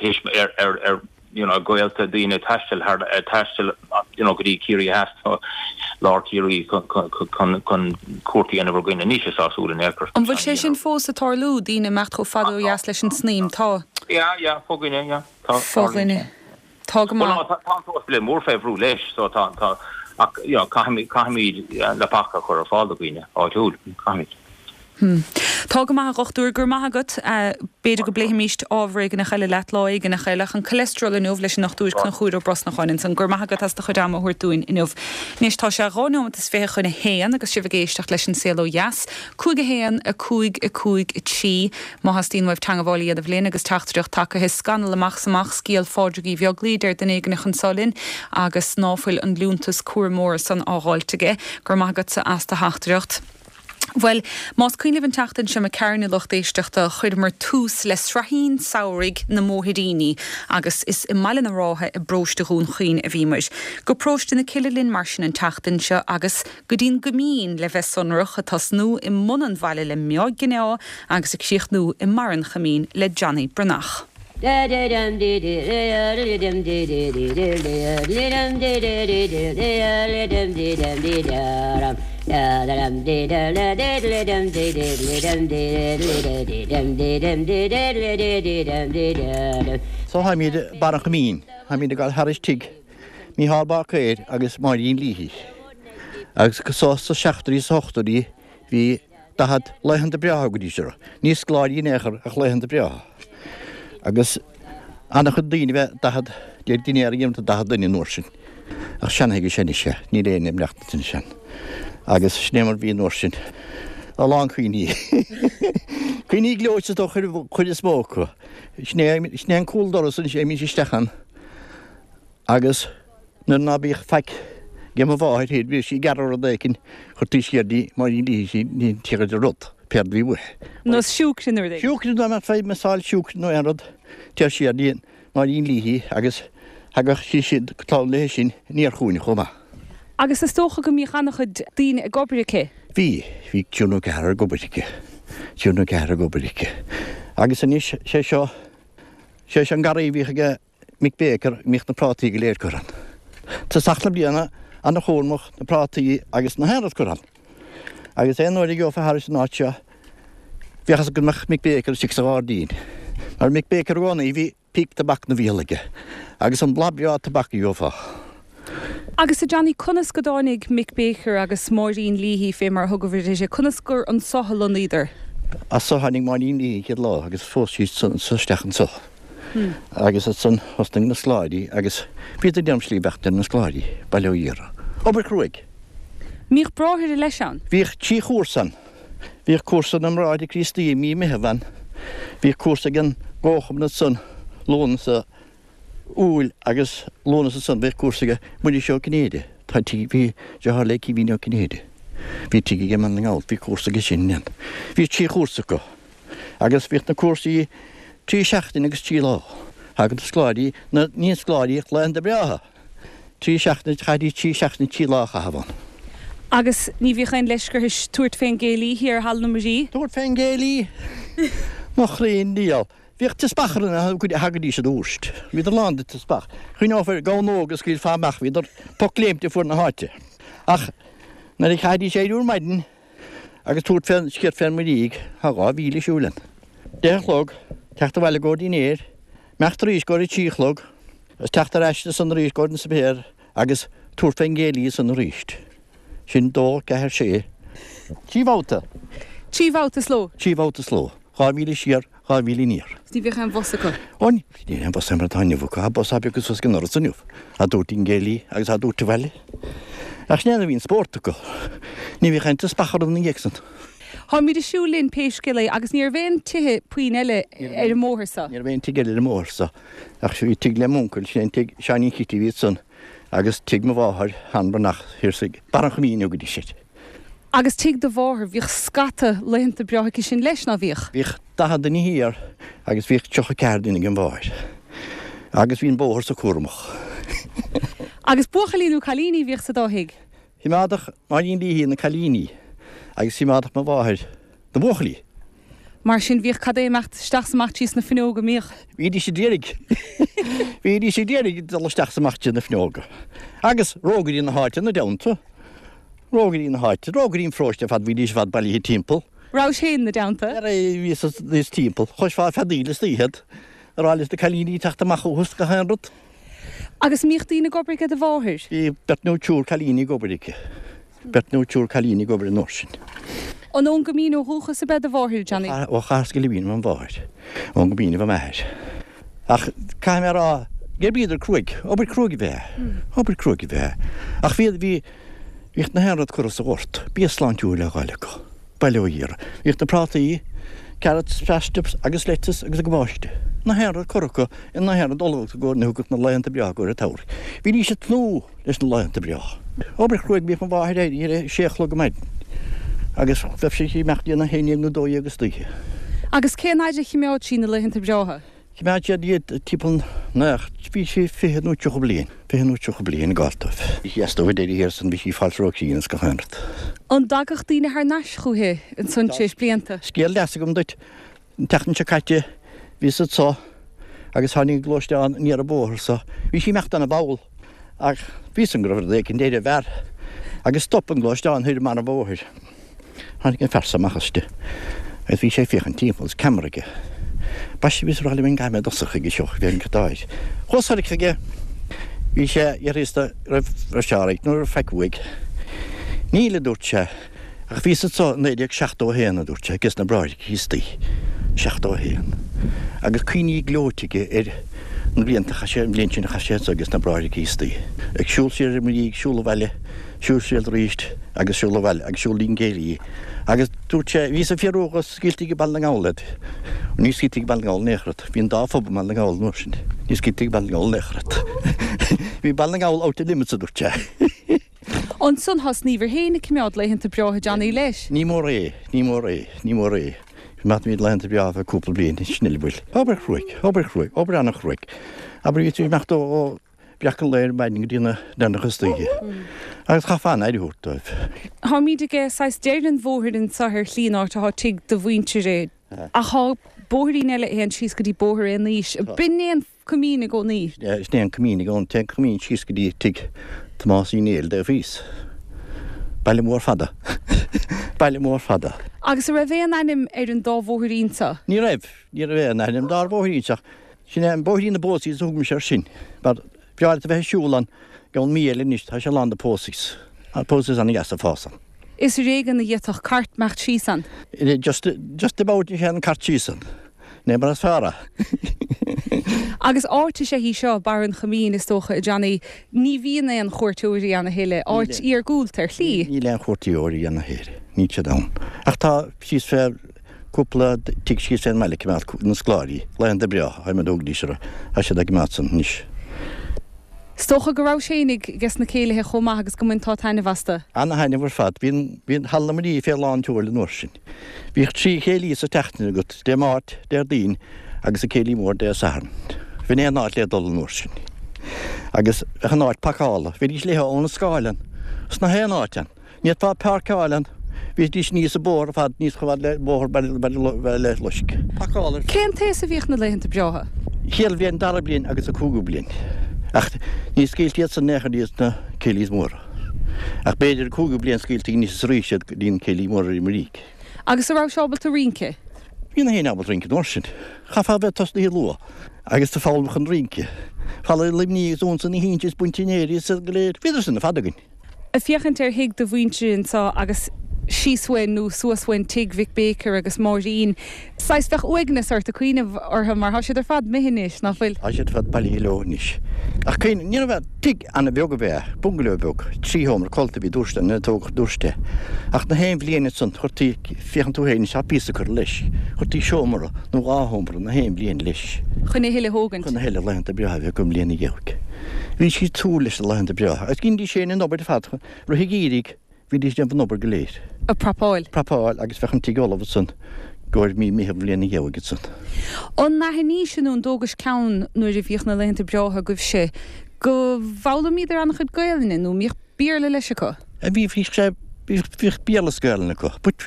ar ar you know gaolta daoine taisteal thar taisteal you know go dtí Ciarraí Theas nó lár Chiarraí chun chun chun cuairt a dhéanamh ar dhaoine. Níl sé sásúil in aon chor. An bhfuil sé sin fós ag tarlú, daoine ag imeacht chomh fada ó dheas leis an tSnaidhm? Tá. Yeah, yeah, fo dhuine, yeah. Tá. Fo dhuine. Tá go maith. Bhuel, tá an t-ospidéal mór fé bhrú leis, so tá, tá, ach, you know, caithfimid, caithfimid leapacha a chur ar fáil do dhaoine áitiúil, caithfimid. Hmm. Tá go maith, a dhochtúir, go raibh maith agat. B'fhéidir go bpléifimíst ábhar éigineach eile leat lá éigineach eile, ach an cholesterol inniu leis an nDochtúir Conchúr Ó Brosnacháin ansan. Go raibh maith agat as do chuid ama a thabhairt dúinn inniu. Anois tá sé dhá neomat is fiche chun a haon agus sibh ag éisteacht leis an Saol Ó Dheas. Cúig a haon, a cúig, a cúig, a trí. Má theastaíonn uaibh teangabháil a dhéanamh linn agus teachtaireacht tagtha, scannal amach 's amach scéal Phádraig Uí Bheaglaoi, deir duine éigineach anso linn, agus ná fuil an liúntas cúramóra san á dháilt aige. Go raibh maith agatsa as do theachtaireacht. Bhuel, más cuimhin libh an tseachtain seo imigh tharainn, a lucht éisteachta, chuireamar tús le sraithín samhraidh na mbóithríní agus is i mBaile na Rátha i bparóiste Dhún Chaoin a bhíomar. Go paróiste na Cille linn mar sin an tseachtain seo agus go dtí'n gCoimín le bheith sonrach, ag tosnú i mbun an bhaile le Meá Gineá agus ag críochnú i mbarr an Choimín le Johnny Breathnach. So tháimid barr an Choimín, tháimid ag dul thairis tigh Mícheál Báicéir agus Máirín Leahy. Agus so sa seachtóidí is sa hochtóidí bhí daichead laethanta breátha go dtí seo. Ní scoláirí in aon chor ach laethanta breátha. Agus ana-chuid daoine bheith daichead, deir dinnéar a dhéanamh do daichead duine an uair sin. Ach seanathaigh sin anois é, níl aon imleacht ansin. Agus sin é mar bhí an uair sin. A lán cuimhní. Cuimhní gleoite is dócha an chuid is mó acu. Sin é, sin é an cúl doras anois, théimís isteach ann. Agus nuair ná bíodh faic ag mo mháthair féin, bhíodh sí ag gearradh rud éicint, chuirtí siar di, Máirín Leahy, ní tíocfaidh de rud, péard a bhí uaithi. Nós siúcra nó rud éigin. Siúcra, dá mbeadh fadhb measáil siúcra nó aon rud, téir siar di, Máirín Leahy, agus thagadh sí siad go talamh léi sin aniar chugainn chomh maith. Agus is dócha go mbíodh an-chuid daoine ag obair aici? Bhí, bhí triúr nó ceathrar ag obair aici, triúr nó ceathrar ag obair aici. Agus anois, sé seo, sé seo an garraí a bhíodh aige Mick Baker, a mbíodh na prátaí go léir curtha ann. Tosach na bliana, ana-chúramach, na prátaí agus na haon rud curtha ann. Agus aon uair a gheofá thairis an áit seo, bheadh fhios agat go mbeadh Mick Baker istigh sa ghairdín. Mar Mick Baker i gcónaí, bhí píp tobac 'na bhéal aige, agus an blas breá tobac a gheofá. Agus a Johnny, conas go dtáinig Mick Baker agus Máirín Leahy, fé mar a thugaibh uirthi, conas gur anso a lonnaíodar? As so tháinig Máirín Leahy an chéad lá agus phós sí anso isteach anso. Agus ansan thosnaigh na scoláirí agus bhíodar ag déanamh slí beacht ar na scoláirí, bail ó Dhia orthu. Obair chruaidh. Mbíodh bráithre leis ann? Bhíodh trí chúrsa ann. Bhíodh cúrsa na mBráithre Críostaí i mí Meitheamh ann. Bhíodh cúrsa ag an gComharchumann ansan Lúnasa, Iúil agus Lúnasa ansan bhíodh cúrsa ag Muiris Ó Cinnéide. Tá tigh, bhí deartháir le Caoimhín Ó Cinnéide. Bhí tigh aige i mBaile na nGall, bhí cúrsa aige sin ann. Bhí trí chúrsa acu. Agus bhíodh na cúrsaí trí seachtaine agus trí lá. Thagadh na scoláirí, na, ní na scoláirí ach laethanta breátha. Trí seachtaine, chaithfidís trí seachtaine trí lá a chaitheamh ann. Agus ní bhíodh aon leisce orthu tabhairt fén gcéilí thiar thall na Muirí? Tabhairt fén gcéilí? Mo chroí ndiabhal. Bhíodh teaspach ar na thagaidís arís. Bhíodar lán de teaspach. Chuimhneofá ar gamhain óg a scaoilfeá amach, bhíodar poc léimte fuar na háite. Ach nuair a chaithfidís éirí ar maidin agus tabhairt fén sciorr fén Muirígh, tá dhá mhíle siúil ann. Deich a chlog, teacht abhaile i gcomhair dinnéir, imeacht arís i gcomhair a trí a chlog, agus teacht ar ais ansan arís i gcomhair an suipéir agus tabhairt fén gcéilí ansan arís. Sin dó, ceathair, sé. Trí bhabhta. Trí bhabhta sa ló? Trí bhabhta sa ló. Dhá mhíle siar, dhá mhíle aniar. Is ní bhíodh aon bhus acu? Ó ní bhíodh aon bhus mar atá inniu acu. Tá bus beag suas go an doras inniu. Á dtabhairt ón gcéilí agus á dtabhairt abhaile. Ach sin é a bhí an spórt acu. Ní bhíodh aon teaspach orthu ina dhiaidh san. Táimid ag siúl linn pé scéal é agus ní raibh aon tithe puinn eile ar an mbóthar so. Ní raibh aon tigh eile ar an mbóthar so. Ach bhí tigh le m'uncail, sin é an tigh Seáinín Chití a bhí ansan agus tigh mo mháthair, Sheán Breathnach, thiar sa Barr an Choimín a thugaidís air. Agus tigh do mháthar, bhíodh scata laethanta breátha aici sin leis, ná bhíodh? Bhíodh daichead duine thiar agus bhíodh tríocha ceathair duine ag an mháthair. Agus bhí an bóthar so cúramach. Agus buachaillí nó cailíní a bhíodh sa dá thigh? Choimeádadh Máirín Leahy na cailíní agus choimeádadh mo mháthair na buachaillí. Mar sin bhíodh cad é imeacht isteach 's amach tríos na fuinneoga, an mbíodh? Bhídís ag iarraidh. Bhídís ag iarraidh dul isteach 's amach trí na fuinneoga. Agus rógairí na háite ina dteannta. Rógairí na háite, rógairí an pharóiste ar fad, bhídís ar fad bailithe timpeall. Rabhais féin ina dteannta? Bhíos bhíos timpeall. Chloisfeá feadaíl istoíche ag rá leis na cailíní teacht amach chucu 's gach aon rud. Agus an mbíodh daoine ag obair aige do mháthair? Bhí beirt nó triúr cailíní ag obair aici. Beirt nó triúr cailíní ag obair an uair sin. An ón gCoimín ó dhúchas ab ea do mháthair, Johnny? Ó Chathair Sceilibín mo mháthair. Ón gCoimín a bhí m'athair. Ach caithfidh mé a rá gur bhíodar cruaidh. Obair cruaidh a bhí é. Obair cruaidh a bhí é. Ach bhí, bhí, bhíodh na haon rud curtha sa ghort. Bia sláintiúil á fháil acu. Bail ó Dhia orthu. Bhíodh na prátaí, carrots, parsnips agus lettuce agus cabáiste. Na haon rud curtha acu in na haon rud ullmhaithe i gcomhair na thugadh na laethanta breátha i gcomhair an tsamhraidh. Bhídís ag tnúth leis na laethanta breátha. Obair chruaidh bhíodh mo mháthair éirithe ar a sé a chlog ar maidin agus bheadh sí ag imeacht dtí'n a haon déag nó dó dhéag istoíche. Agus cén fhaid a chimeád sí na laethanta breátha? Chimeád siad iad timpeall nach, bhí sí fiche nó tríocha bliain, fiche nó tríocha bliain ag gabháil dóibh. Bhí sí as dóibh ag deireadh thiar san, bhí sí ag fáil ró-chríonna is gach aon rud. An dtagadh daoine thar n-ais chúithi ansan tar éis blianta? Scéal deas agam duit. An tseachtain seo caite bhíos anso agus tháinig gluaisteán aniar an bóthar so. Bhí sí ag imeacht ana-mhall ach bhí 'fhios a'm go raibh rud éicint ar an bhfear agus stop an gluaisteán thoir i mbarr an bhóthair. Tháinig an fear so amach aisti agus bhí sé ag féachaint timpeall agus ceamara aige. Baiste bhíos ag rá liom an gcaithfidh mé dul chuige seo, bhí an cathaoir. Chuas soir chuige, bhí sé fhiafraíos de raibh raibh sé alright nó raibh faic uaidh. Níl, a dúirt sé, ach bhíos anso i naoi déag seachtó a haon, a dúirt sé, ages na Bráithre Críostaí. Seachtó a haon. Agus cuimhní gleoite aige ar na blianta a chaith sé, an bhliain sin a chaith sé anso ages na Bráithre Críostaí. Ag siúl siar ar an Muirígh, siúl abhaile, siúl siar arís agus siúl abhaile agus siúl dtí'n gcéilí. Agus dúirt sé, bhíos ag fiafraí dhe an scaoiltí go Baile na nGall iad. Ní scaoiltí go Baile na nGall in aon chor iad. Bhí an dá phub i mBaile na nGall an uair sin. Ní scaoiltí go Baile na nGall in aon chor iad. Bhí Baile na nGall out of limits, a dúirt sé. Ansan thosnaíobhair féin ag coimeád laethanta breátha Johnny leis. Ní mór é, ní mór é, ní mór é. Coimeádaimid laethanta breátha feadh cúpla bliain, sin uile bhfuil. Obair chruaidh, obair chruaidh, obair an-chruaidh. Abair bhí tú ag imeacht ó bhreacadh an lae ar maidin go dtí na deireanach istoíche. Agus chaithfeá an-aire a thabhairt dóibh. Táimid ag saghas deireadh an bhóthair anseo ar shlí an áit atá tigh do mhuintire. Ach tá bóithrín eile a théann síos go dtí Bóthar Aon Aois. B'in é an Coimín i gcónaí. Sin é an Coimín i gcónaí. Téann Coimín síos go dtí tigh Tomás Uí Néill dtaobh thíos. Baile mór fada. Baile mór fada. Agus an raibh aon ainm ar an dá bhóithrín seo? Ní raibh. Ní raibh aon ainm dár bhóithrín seo. Sin é an bóithrín na bPósies a thug mise air sin. Mar b'fhearr leat a bheith ag siúl ann i gceann mí eile anois, tá sé lán de posies. Tá posies ana-dheas ag fás ann. Is ar éigean a d'fhéadfadh cairt imeacht síos ann. Just, just about ní théann cairt síos ann. Ní mar is fearr é. Agus áit is ea í seo, Barr an Choimín, is dócha, a Johnny. Ní bhíonn aon chuairteoirí ann a thuilleadh. Áit iargúlta ar shlí. Níl aon chuairteoirí ann a thuilleadh. Níl siad ann. Ach tá síos fé cúpla tigh síos fén mbaile ag coimeád na scoláirí, laethanta breátha, tá muid óg seo, tá siad ag coimeád san anois. Is dócha go raibh féinig ges na céilithe chomh maith agus go mbainteá taitneamh astu. Ana-thaitneamh ar fad. Bhí bhí Halla Marie fé lán tseoil an uair sin. Bhíodh trí chéilí sa tseachtain agat, Dé Máirt, Déardaoin agus an céilí mór Dé Sathairn. Bhí aon áit le dul an uair sin. Agus bheadh an áit pacáilte, bhídís léithe óna scáileán sna haon áit ann. Ní fhéadfá páirceáil ann. Bhídís aníos an bóthar ar fad níos chomh fada le bóthar Baile Loiscthe. Pacáilte. Cén t-aos a bhíodh na laethanta breátha? Chéad bhliain, dara bliain agus an cúigiú bliain. Ach ní scaoiltí iad san in aon chor iad sna céilís móra. Ach b'fhéidir an cúigiú bliain scaoiltí aníos is arís iad go dtí an céilí mór ar Maríc. Agus an raibh sé ábalta rince? Bhí na héinne ábalta rince an uair sin. Chaithfeá a bheith tosnaithe luath agus tú foghlaim chun rince. Falla Luimnigh agus Unsa na hInse is Buintinéirí is go léir. Bhíodar sin ar fad againn. Ag féachaint ar thigh do mhuintire anseo agus síos uainn nó suas uainn tigh Mhick Baker agus Máirín, saghas bheadh uaigneas ort ag cuimhneamh orthu mar tá siad ar fad imithe anois, ná fuil? Tá siad ar fad bailithe leo anois. Ach cuimhnigh, ní raibh tigh an-bheag ab ea, bungaló beag, trí sheomra codlata a bhí dúirt nuair a tógadh dúirt é. Ach na haon bhliain ansan, chuirtí, féachann tú féin, tá píosa curtha leis, chuirtí seomra nó dhá sheomra na haon bhliain leis. Chun a thuilleadh a thógaint. Chun a thuilleadh laethanta breátha a bheith acu i mbliana gheimhridh. Bhí siad ag súil leis na laethanta breátha. Agus dheinidís féin an obair ar fad, rith an gheimhridh, bhídís ag déanamh an obair go léir. Ag prapáil. Prapáil agus bheadh an tigh ullamh ansan i gcomhair mí Meitheamh bhliain an gheimhridh ansan. An n-aithnís nó an dtógais ceann nuair a bhíodh na laethanta breátha agaibhse go bhfoghlaimíodar an-chuid Gaelainne nó mbíodh Béarla leis acu? Bhí, bhíodh sé, bhíodh Béarla is Gaelainn acu but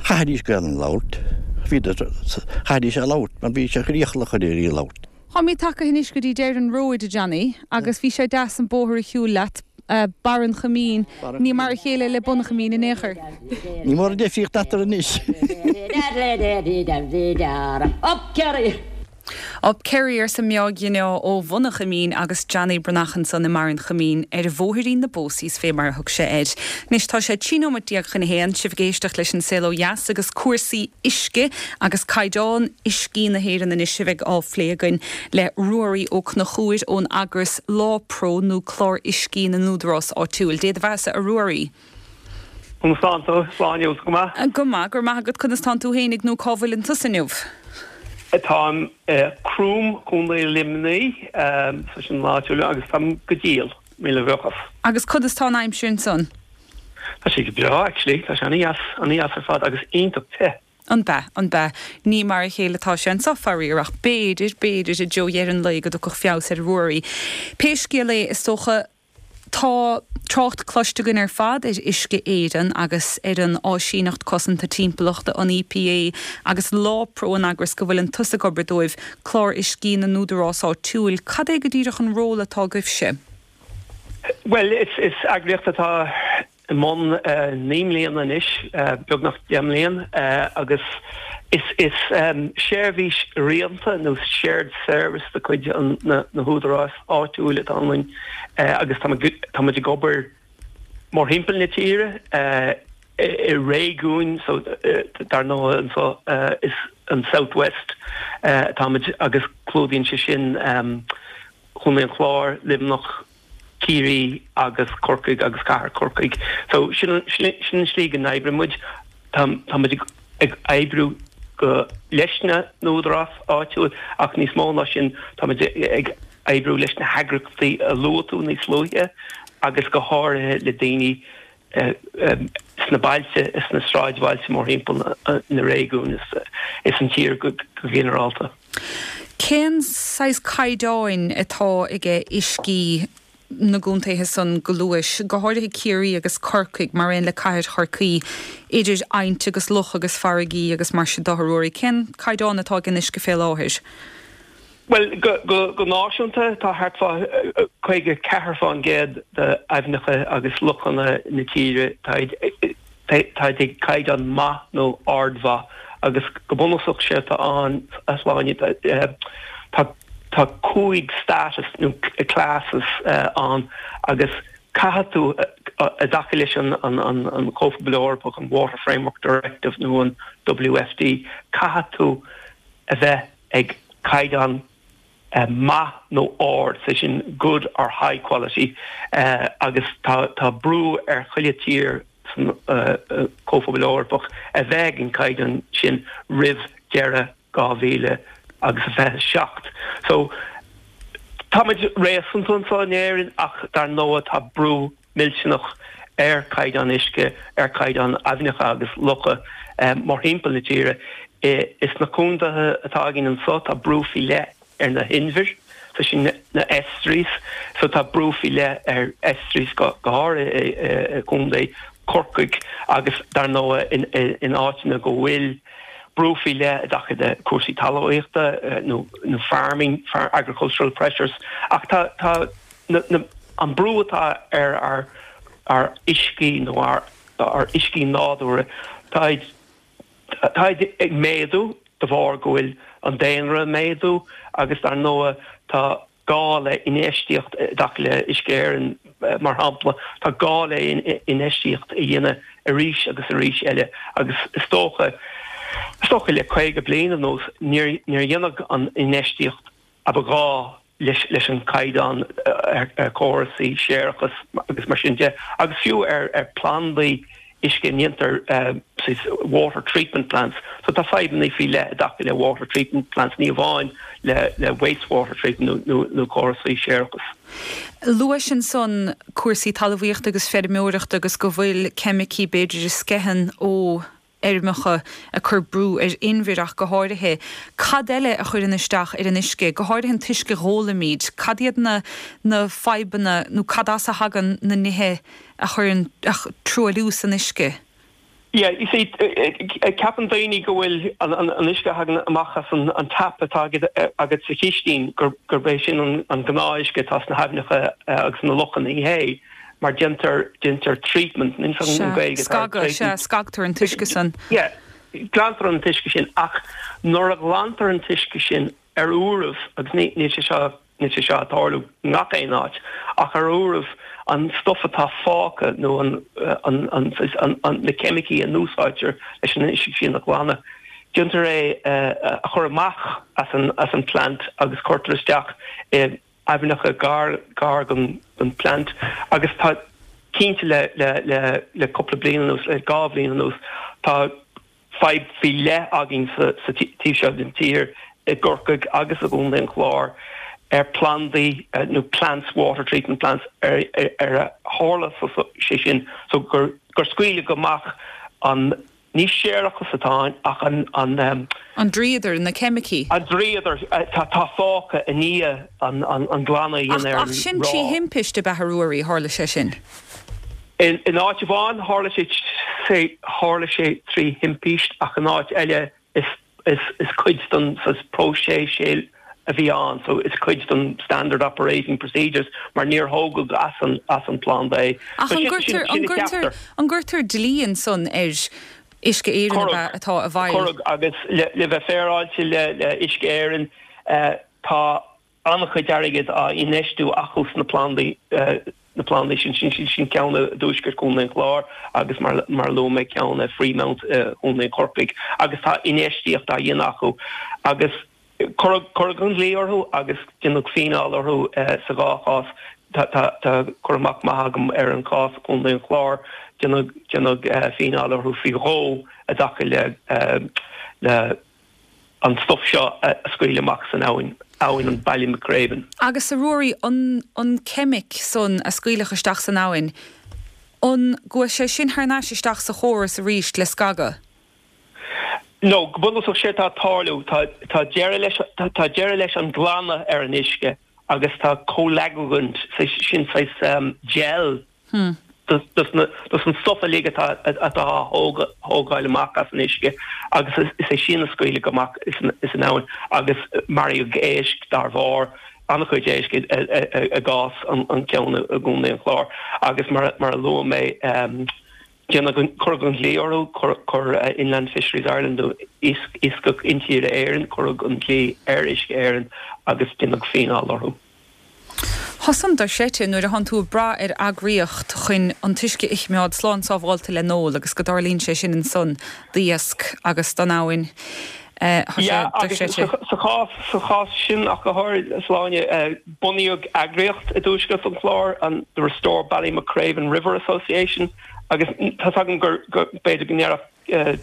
chaithfidís Gaelainn a labhairt. Bhíodar, chaithfidís é a labhairt mar bhí sé iachallach orthu í a labhairt. Táimid tagtha anois go dtí deireadh an róid, a Johnny, agus bhí sé deas an bóthar a shiúl leat, Barr an Choimín, ní mar a chéile le Bun an Choimín in aon chor. Ní mór an difríocht eatarthu anois. Up Kerry! Up Kerry arsa Meáig Ghineá ó Bhun an Choimín agus Johnny Breathnach ansan i mBarr an Choimín ar bhóithrín na bPósaí fé mar a thug sé air. Anois tá sé trí nóiméad déag chun a haon, sibh ag éisteacht leis an Saol Ó Dheas agus cúrsaí uisce agus caighdeán uiscí na hÉireann anois a bheidh á phlé againn le Ruairí Ó Conchúir ón eagras LawPRO nó Clár Uiscí na nÚdarás Áitiúil. Dé do bheatha-sa a Ruairí. Conas tánn tú Sláine go maith? Go maith go raibh maith agat conas tánn tú fhéinig nó cá bhfuileann tusa inniu. Táim Croom Contae Luimnigh sa sin láúla agus táim go diail míle buíochas. Agus conas tá an aimsir ansan? Tá sé go breá actually, tá sé an-deas an-deas ar fad agus iontach te. An bea an bea ní mar a chéile atá sé anseo faraor ach b'fhéidir b'fhéidir i dtreo dheireadh an lae go dtiocfadh feabhas ar Ruairí. Pé scéal é is dócha Tá trácht cloiste againn ar fad ar Uisce Éireann agus ar an Áisíneacht Cosanta Timpeallachta an EPA agus LawPRO an eagras go bhfuileann tusa ag obair dóibh, Clár Uiscí na nÚdarás Áitiúil. Cad é go díreach an ról atá agaibhse? Well, is, is eagraíocht atá i mbun uh, naoi mbliana anois, uh, beagnach deich mbliana, uh, agus is, is um, seirbhís roinnte nó shared service de chuid an, na, na húdarás áitiúil atá ann uh, agus tá muid ag obair mórthimpeall na tíre uh, i réigiúin so uh, dar ndóigh anseo uh, is an Southwest uh, táimid agus clúdaíonn sé sin um, Contae an Chláir, Luimneach, Ciarraí agus Corcaigh agus Cathair Chorcaí. So sin sin slí go n-oibríonn muid tá muid ag oibriú go leis na n-údarás áitiúil ach níos mó ná sin tá muid ag oibriú leis na heagraíochtaí a luaigh tú níos luaithe agus go háirithe le daoine sna bailte is na sráidbhailte mórthimpeall na réigiún is, is an tír go, go ginearálta. Cén saghas caighdeáin atá aige uiscí na gcontaetha san go luais, go háirithe Ciarraí agus Corcaigh mar aon le cathair Chorcaí idir aibhneacha agus locha agus farraigí agus mar sin de a Ruairí. Cén caighdeán atá ag an uisce fé láthair? Well go, go, go náisiúnta tá thart fá caoga ceathair faoin gcéad d'aibhneacha agus lochanna na tíre tá ag caighdeán maith nó ardmhaith agus go bunúsach sé tá an sláine tá tá cúig status nó classes uh, ann agus caithfidh tú i dtaca leis an an an an Comhphobal Eorpach an Water Framework Directive nó an WFD caithfidh tú a bheith ag caighdeán uh, maith nó ard sé sin good or high quality uh, agus tá tá brú ar chuile tír san Chomhphobal Eorpach a bheith ag an caighdeán sin roimh deireadh dhá mhíle agus a fiche seacht. So táimid réasúnta anseo in Éirinn ach dar ndóigh tá brú millteanach ar chaighdeán uisce, ar chaighdeán aibhneacha agus locha mórthimpeall na tíre. Is na contaetha atá againn anseo tá brú faoi leith ar na hinbhir, so sin na estuaries, so tá brú faoi leith ar estuaries go háirithe i gContae Chorcaí agus dar ndóigh in áiteanna go bhfuil brú faoi leith i dtaca le cúrsaí talmhaíochta nó nó farming, agricultural pressures ach tá tá na an brú atá ar ár ár uiscí nó ár ár uiscí nádúrtha tá tá ag méadú de bharr go bhfuil an daonra ag méadú agus dar ndóigh tá gá le infheistíocht i dtaca le Uisce Éireann mar shampla, tá gá le infheistíocht a dhéanamh arís agus arís eile agus is dócha is dócha le caoga bliain anuas níor níor dhéanadh an infheistíocht a ba ghá leis leis an caighdeán ar chórasaí séarachais agus mar sin de agus fiú ar ar plandaí uisce a ndéantar water treatment plants. So tá fadhbanna faoi leith i dtaca le water treatment plants, ní amháin le le wastewater treatment nó nó córasaí séarachais. Luais ansan cúrsaí talmhaíochta agus feirmeoireachta agus go bhfuil ceimicí b'fhéidir a sceitheann ó fheirmeacha ag cur brú ar inbhir ach go háirithe. Cad eile a chuireann isteach ar an uisce, go háirithe an t-uisce a ólaimid? Cad iad na na fadhbanna nó cad as a thagann na nithe a chuireann truailliú san uisce? Yeah, you see, ceapann daoine go bhfuil an uisce a thagann amach as an tap atá agat sa chistin gurb é sin an gnáth-uisce atá sna haibhneacha agus na lochanna. Ní hé, mar déantar déantar treatment in san Gaeilge. Scagadh, sea, scagtar an t-uisce san. Yeah, glantar an t-uisce sin ach nuair a ghlantar an t-uisce sin ar uairibh, agus níl sé seo Níl sé seo ag tarlú i ngach aon áit, ach ar uairibh an stuif atá fágtha nó an na ceimicí a n-úsáidtear leis an uisce sin a ghlanadh, déantar é a chur amach as an as an plant agus cuirtear isteach i aibhneacha gar gar don don plant agus tá cinnte le le le le cúpla bliain anuas, le dhá bhliain anuas, tá fadhb faoi leith againn sa taobh seo den tír, i gCorcaigh agus i gContae an Chláir, ar plandaí nó plants, water treatment plants, ar ar tharla sé sin so gur gur scaoileadh amach an, ní séarachas atá ann ach an an. An dríodar, na ceimicí. An dríodar atá fágtha i ndiaidh an an glanadh a dhéanamh ar an Ach sin trí thimpiste ab ea a Ruairí, tharla sé sin? In áit amháin tharla sé tharla sé trí thimpiste ach in áit eile is is cuid den próiseas é a bhí ann so is cuid den standard operating procedures mar níor thógadh as an as an planda é. Ach an gcuirtear an gcuirtear an gcuirtear dlí ansan ar Uisce Éireann ab ea atá i bhfeighil? Cuireadh agus le le bheith féaráilte le le Uisce Éireann tá an-chuid airgid á infheistiú acu sna plandaí na plandaí sin, sin, sin ceann i dtuaisceart Chontae an Chláir agus mar mar a luaigh mé ceann i Freemount i gContae Chorcaí agus tá infheistíocht á dhéanamh acu agus cuireadh cuireadh an dlí orthu agus déanadh fíneáil orthu sa dhá chás. Tá tá tá cur amach maith agam ar an chás i gContae an Chláir, déanadh déanadh fíneáil orthu faoi dhó i dtaca le le an stuif seo a scaoileadh amach san abhainn, abhainn an Ballymacraven. Agus a Ruairí, an an ceimic san a scaoileadh isteach san abhainn, an gcuaigh sé sin thar n-ais isteach sa chóras arís le scagadh? No, go bunúsach séard atá ag tarlú, tá tá deireadh leis tá deireadh leis an glanadh ar an uisce agus tá coagulant, sin saghas gel, dos an stuif uilig atá atá á thógáil amach as an uisce agus is é sin a scaoileadh amach san abhainn agus maraíodh éisc dár bharr, an-chuid éisc i gcás an ceann i gContae an Chláir agus mar a luaigh mé déanadh cuireadh an dlí orthu, chuir Inland Fisheries Ireland nó Iascach Intíre Éireann, cuireadh an dlí ar Uisce Éireann agus déanadh fíneáil orthu. Tá san dochreidte nuair a thánn tú ag brath ar eagraíocht chun an t-uisce a choimeád slán sábháilte le n-ól agus go dtarlaíonn sé sin ansan d'iasc agus don abhainn. Tá sé dochreidte. Sa chás sa chás sin ach go háirithe Sláine, bunaíodh eagraíocht i dtuaisceart an Chláir, an The Restore Ballymacraven River Association, agus tá a fhios agam gur b'fhéidir go ndéarfadh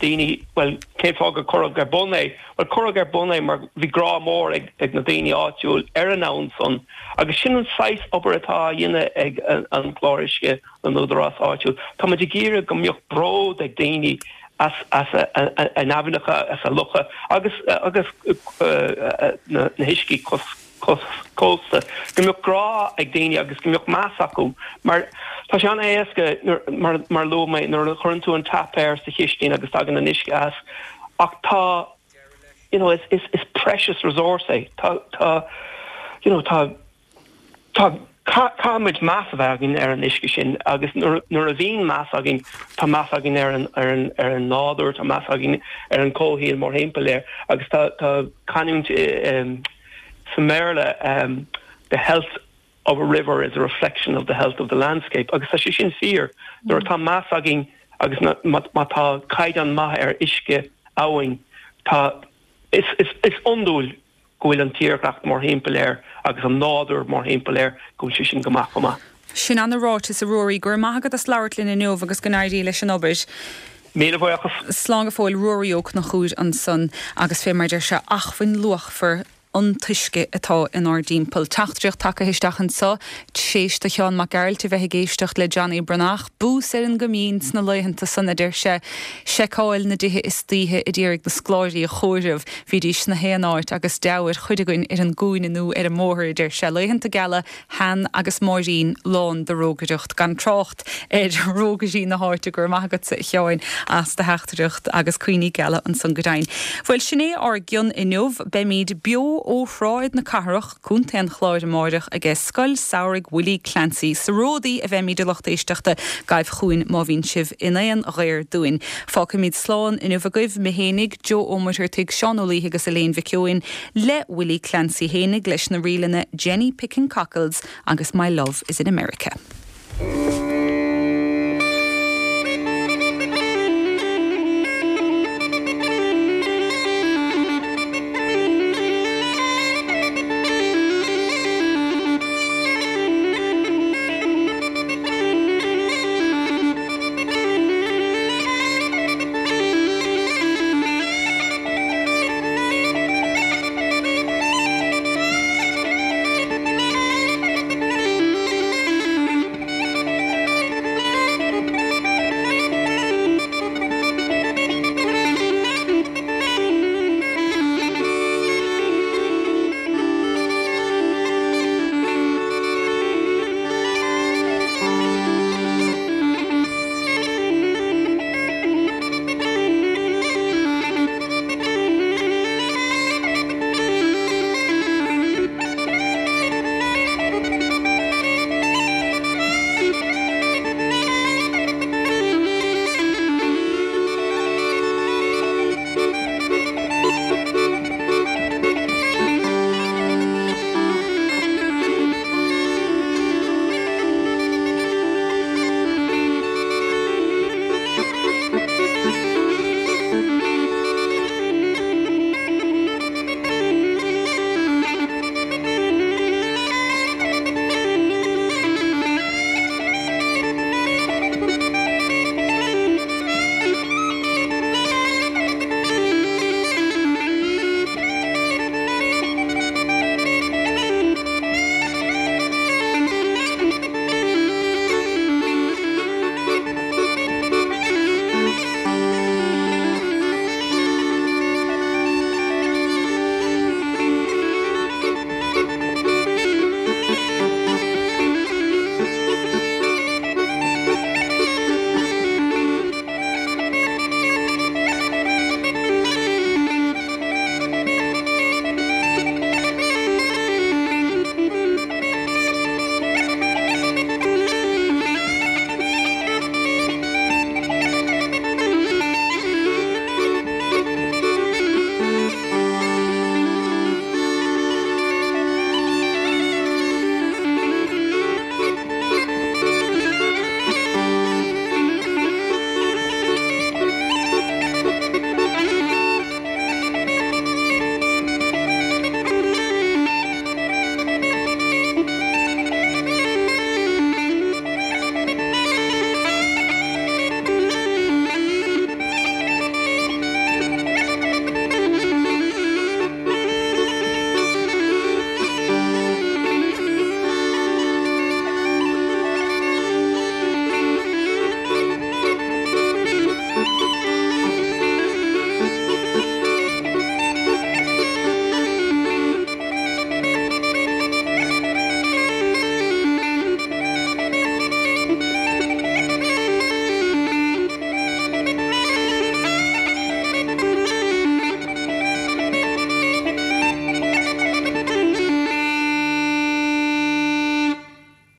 daoine, bhuel, cén fáth gur cuireadh ar bun é? Bhuel, cuireadh ar bun é mar bhí grá mór ag ag na daoine áitiúil ar an abhainn san agus sin an saghas obair atá á dhéanamh ag an gClár Uisce na n-údarás áitiúil. Tá muid ag iarraidh go mbeadh bród ag daoine as as a n-aibhneacha, as a locha agus agus na huiscí cósta, go mbeadh grá ag daoine agus go mbeadh meas acu mar tá sé an-éasca mar mar a luaigh mé nuair a chuireann tú an tap air sa chistin agus tagann an uisce as ach tá you know is is is precious resource é tá tá you know tá tá Caithfimid meas a bheith againn ar an uisce sin agus nuair a bhíonn meas againn, tá meas againn ar an ar an ar an nádúr, tá meas againn ar an comhshaol mórthimpeall air agus tá tá canúint sa mBéarla the health of a river is a reflection of the health of the landscape agus tá sé sin fíor. Nuair atá meas againn agus má tá caighdeán maith ar uisce abhainn, tá is is is iondúil go bhfuil an tírdhreach mórthimpeall air agus an nádúr mórthimpeall air, go bhfuil sé sin go maith chomh maith. Sin ana-ráiteas, a Ruairí. Go raibh maith agat as labhairt linn inniu agus go n-éirí leis an obair. Míle buíochas. Slán go fóill, Ruairí Ó Conchúir ansan agus fé mar a deir sé, acmhainn luachmhar an t-uisce atá inár dtimpeall. Teachtaireacht tagtha isteach anso, t'éis do Sheán Mac Gearailt a bheith ag éisteacht le Johnny Breathnach. Bús ar an gCoimín sna laethanta san, a deir sé, seiceáil na dtithe istoíche a d'iarraidh na scoláirí a chomhaireamh. Bhídís sna haon áit agus deabhadh ar chuid againn ar an gcúinne nó ar an mbóthar, a deir sé. Laethanta geala Sheain agus Máirín lán de rógaireacht, gan trácht ar rógairí na háite. Go raibh maith agatsa, a Sheáin, as do theachtaireacht agus cuimhní geala ansan go deimhin. Bhuel, sin é ár gcion inniu. Beimid beo ó Shráid na Cathrach, Contae an Chláir amáireach aige Scoil Samhraidh Willie Clancy. Sa Ródaí a bheimid a lucht éisteachta, gabh chugainn má bhíonn sibh in aon ghair dúinn. Fágfaimid slán inniu agaibh, mé fhéinig, Joe Ó Muircheartaigh, Seán Ó Laoithe agus Elaine Mhic Eoin, le Willie Clancy fhéinig leis na ríleanna Jenny Picking Cockles agus My Love Is in America.